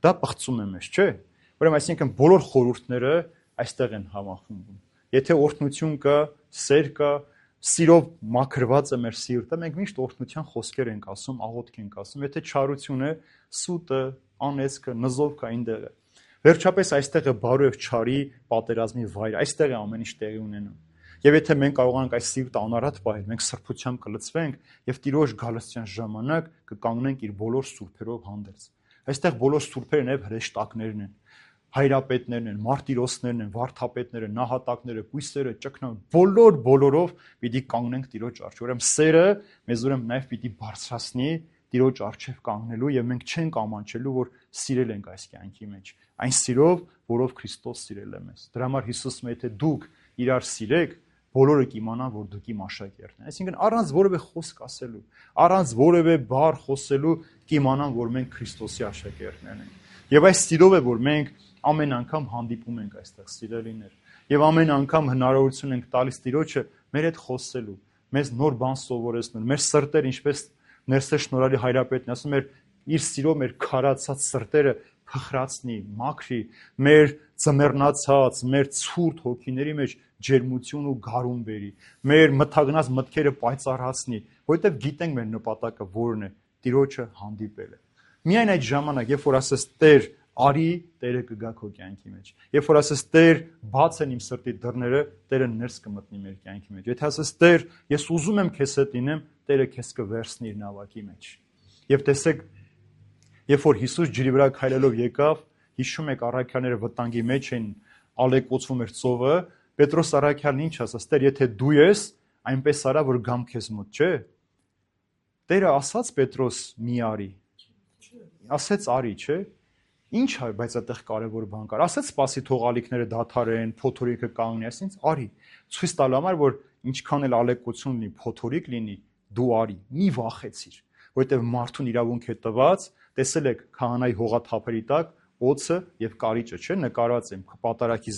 դա պղծում է մեզ, չէ՞։ Ուրեմն այսինքն բոլոր խորհուրդները այստեղ են համախմբվում։ Եթե օրհնություն կա, սեր կա, սիրով մաքրված է մեր սիրտը, մենք միշտ օրհնության խոսքեր ենք ասում, աղոթք ենք ասում։ Եթե չարություն է, սուտը, անեծքը, նզովքը այնտեղ է։ Վերջապես այստեղ է բարու եւ չարի պատերազմի վայր, այստեղ է ամեն ինչ տեղի ունենում։ Եվ եթե մենք կարողանանք այս սիրտը անարատ պահել, մենք սրբությամբ կլցվենք եւ Տիրոջ գալստյան ժամանակ կկանգնենք իր բոլոր սուրբերով հանդերձ։ Այստեղ բոլոր սուրբերն եւ հրեշտակներն են, հայրապետներն են, մարտիրոսներն են, վարդապետները, նահատակները, կույսերը, ճկնան, բոլորով պիտի կանգնենք Տիրոջ առջև։ Ուրեմն սերը մեզ ուրեմն նաեւ պիտի բարձրացնի Տիրոջ առջև կանգնելու եւ մենք չենք ամանչելու, որ սիրել ենք այս կյանքի մեջ։ Այն սիրով, որով Քրիստոս սիրել է մեզ։ Դրա համար Հիսուսը եթե դուք իրար սիրեք, բոլորը կիմանան, որ դուք իմ աշակերտն եք։ Այսինքն առանց որևէ խոսք ասելու, առանց որևէ բառ խոսելու կիմանան, որ մենք Քրիստոսի աշակերտներն ենք։ Եվ այս սիրով է, որ մենք ամեն անգամ հանդիպում ենք այստեղ սիրելիներ։ Եվ ամեն անգամ հնարավորություն ենք տալիս Տիրոջը մեր հետ խոսելու, մեզ նոր բան սովորեցնել, մեր սրտեր, ինչպես Ներսե Շնորհալի Հայրապետն ասում էր, իր սիրո մեր քարացած սրտերը փխրացնի, մաքրի, մեր ծմեռնացած, մեր ցուրտ հոգիների մեջ ջերմություն ու գարուն բերի, մեր մթագնած մտքերը պայծառացնի, որովհետև գիտենք մեր նպատակը որն է, Տիրոջը հանդիպելը։ Միայն այդ ժամանակ, երբ որ ասես Տեր, արի, Տերը կգա քո կյանքի մեջ։ Երբ որ ասես Տեր, բաց են իմ սրտի դռները, Տերը ներս կմտնի մեր կյանքի մեջ։ Եթե ասես Տեր, ես ուզում եմ քեզ հետ լինեմ, Տերը քեզ կվերցնի իր նավակի մեջ։ Եվ տեսեք, երբ որ Հիսուս ջրի վրա քայլելով եկավ, հիշում եք առաքյալները վտանգի մեջ են, ալեկոծվում էր ծովը, Պետրոս առաքյալն ինչ ասաց, Տեր, եթե դու ես, այնպես արա, որ գամ քեզ մոտ, չէ՞։ Տերը ասաց Պետրոս մի արի։ Ասեց արի, չէ՞։ Ինչ է, բայց այդտեղ կարևոր բան կար։ Ասեց սպասի թող ալիքները դադարեն, փոթորիկը կանգնի, այսինքն արի։ Ցույց տալու համար, որ ինչքան էլ ալեկոծություն լինի, փոթորիկ լինի, դու արի, մի վախեցիր, որովհետև մարդուն իրավունք է տված, տեսել եք քահանայի հողաթափերի տակ օձը եւ կարիճը, չէ՞, նկարած են պատարակից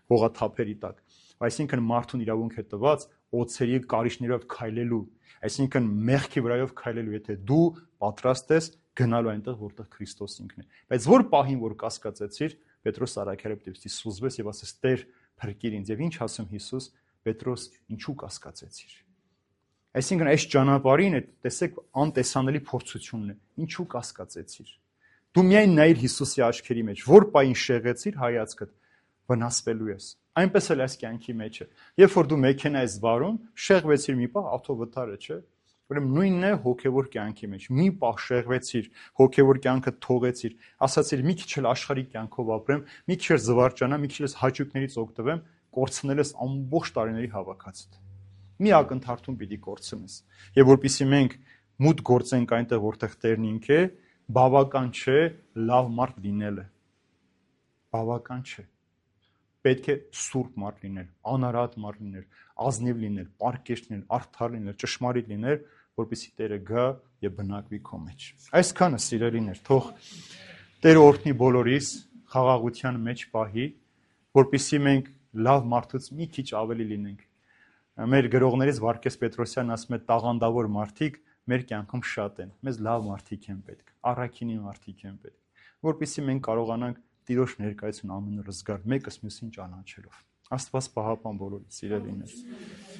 հողաթափերի տակ։ Այսինքն մարդուն իրավունք է տված օձերի կարիճներով քայլելու, այսինքն մեղքի վրայով քայլելու, եթե դու պատրաստ ես գնալու այնտեղ, որտեղ Քրիստոս ինքն է։ Բայց որ պահին որ կասկածեցիր, Պետրոս առաքյալը դեպի սուզվեց եւ ասեց. Տեր, փրկիր ինձ։ Եվ ինչ ասում Հիսուս, Պետրոս, ինչու կասկածեցիր։ Այսինքն այս ճանապարհին է, տեսեք, անտեսանելի փորձությունն է։ Ինչու կասկածեցիր։ Դու միայն նայիր Հիսուսի աչքերի մեջ, որ պահին շեղեցիր հայացքդ, վնասվելու ես։ Այնպես էլ այս կյանքի մեջ է։ Երբ որ դու մեքենա ես վարում, շեղվեցիր մի պահ, ավտովթարը, չէ՞։ Ուրեմն նույնն է հոգևոր կյանքի մեջ։ Մի պահ շեղվեցիր, հոգևոր կյանքը թողեցիր, ասացիր մի քիչ էլ աշխարհիկ կյանքով ապրեմ, մի քիչ էլ զվարճանամ, մի քիչ էլ հաճույքներից օգտվեմ, կորցնել ես ամբողջ տարիների հավաքածուդ։ Մի ակնթարթում պիտի կորցնես։ Եվ որpիսի մենք մուտք գործենք այնտեղ, որտեղ Տերն ինք է, բավական չէ լավ մարդ լինելը։ Բավական չէ։ Պետք է սուրբ մարդ լինել, անարատ մարդ լինել, ազնիվ լինել, պարկեշտ լինել, արդար լինել, ճշմարիտ լինել, որպեսզի Տերը գա եւ բնակվի քո մեջ։ Այսքանը սիրելիներ, թող Տերը օրհնի բոլորիս խաղաղության մեջ պահի, որպեսզի մենք լավ մարդուց մի քիչ ավելի լինենք։ Մեր գրողներից Վարդգես Պետրոսյանն ասում է տաղանդավոր մարդիկ մեր կյանքում շատ են։ Մեզ լավ մարդիկ են պետք, առաքինի մարդիկ են պետք, որպեսզի մենք կարողանանք Տիրոջ ներկայություն ամենուր զգալ, մեկս մյուսին ճանաչելով։ Աստված պահապան բոլորիդ, սիրելիներ։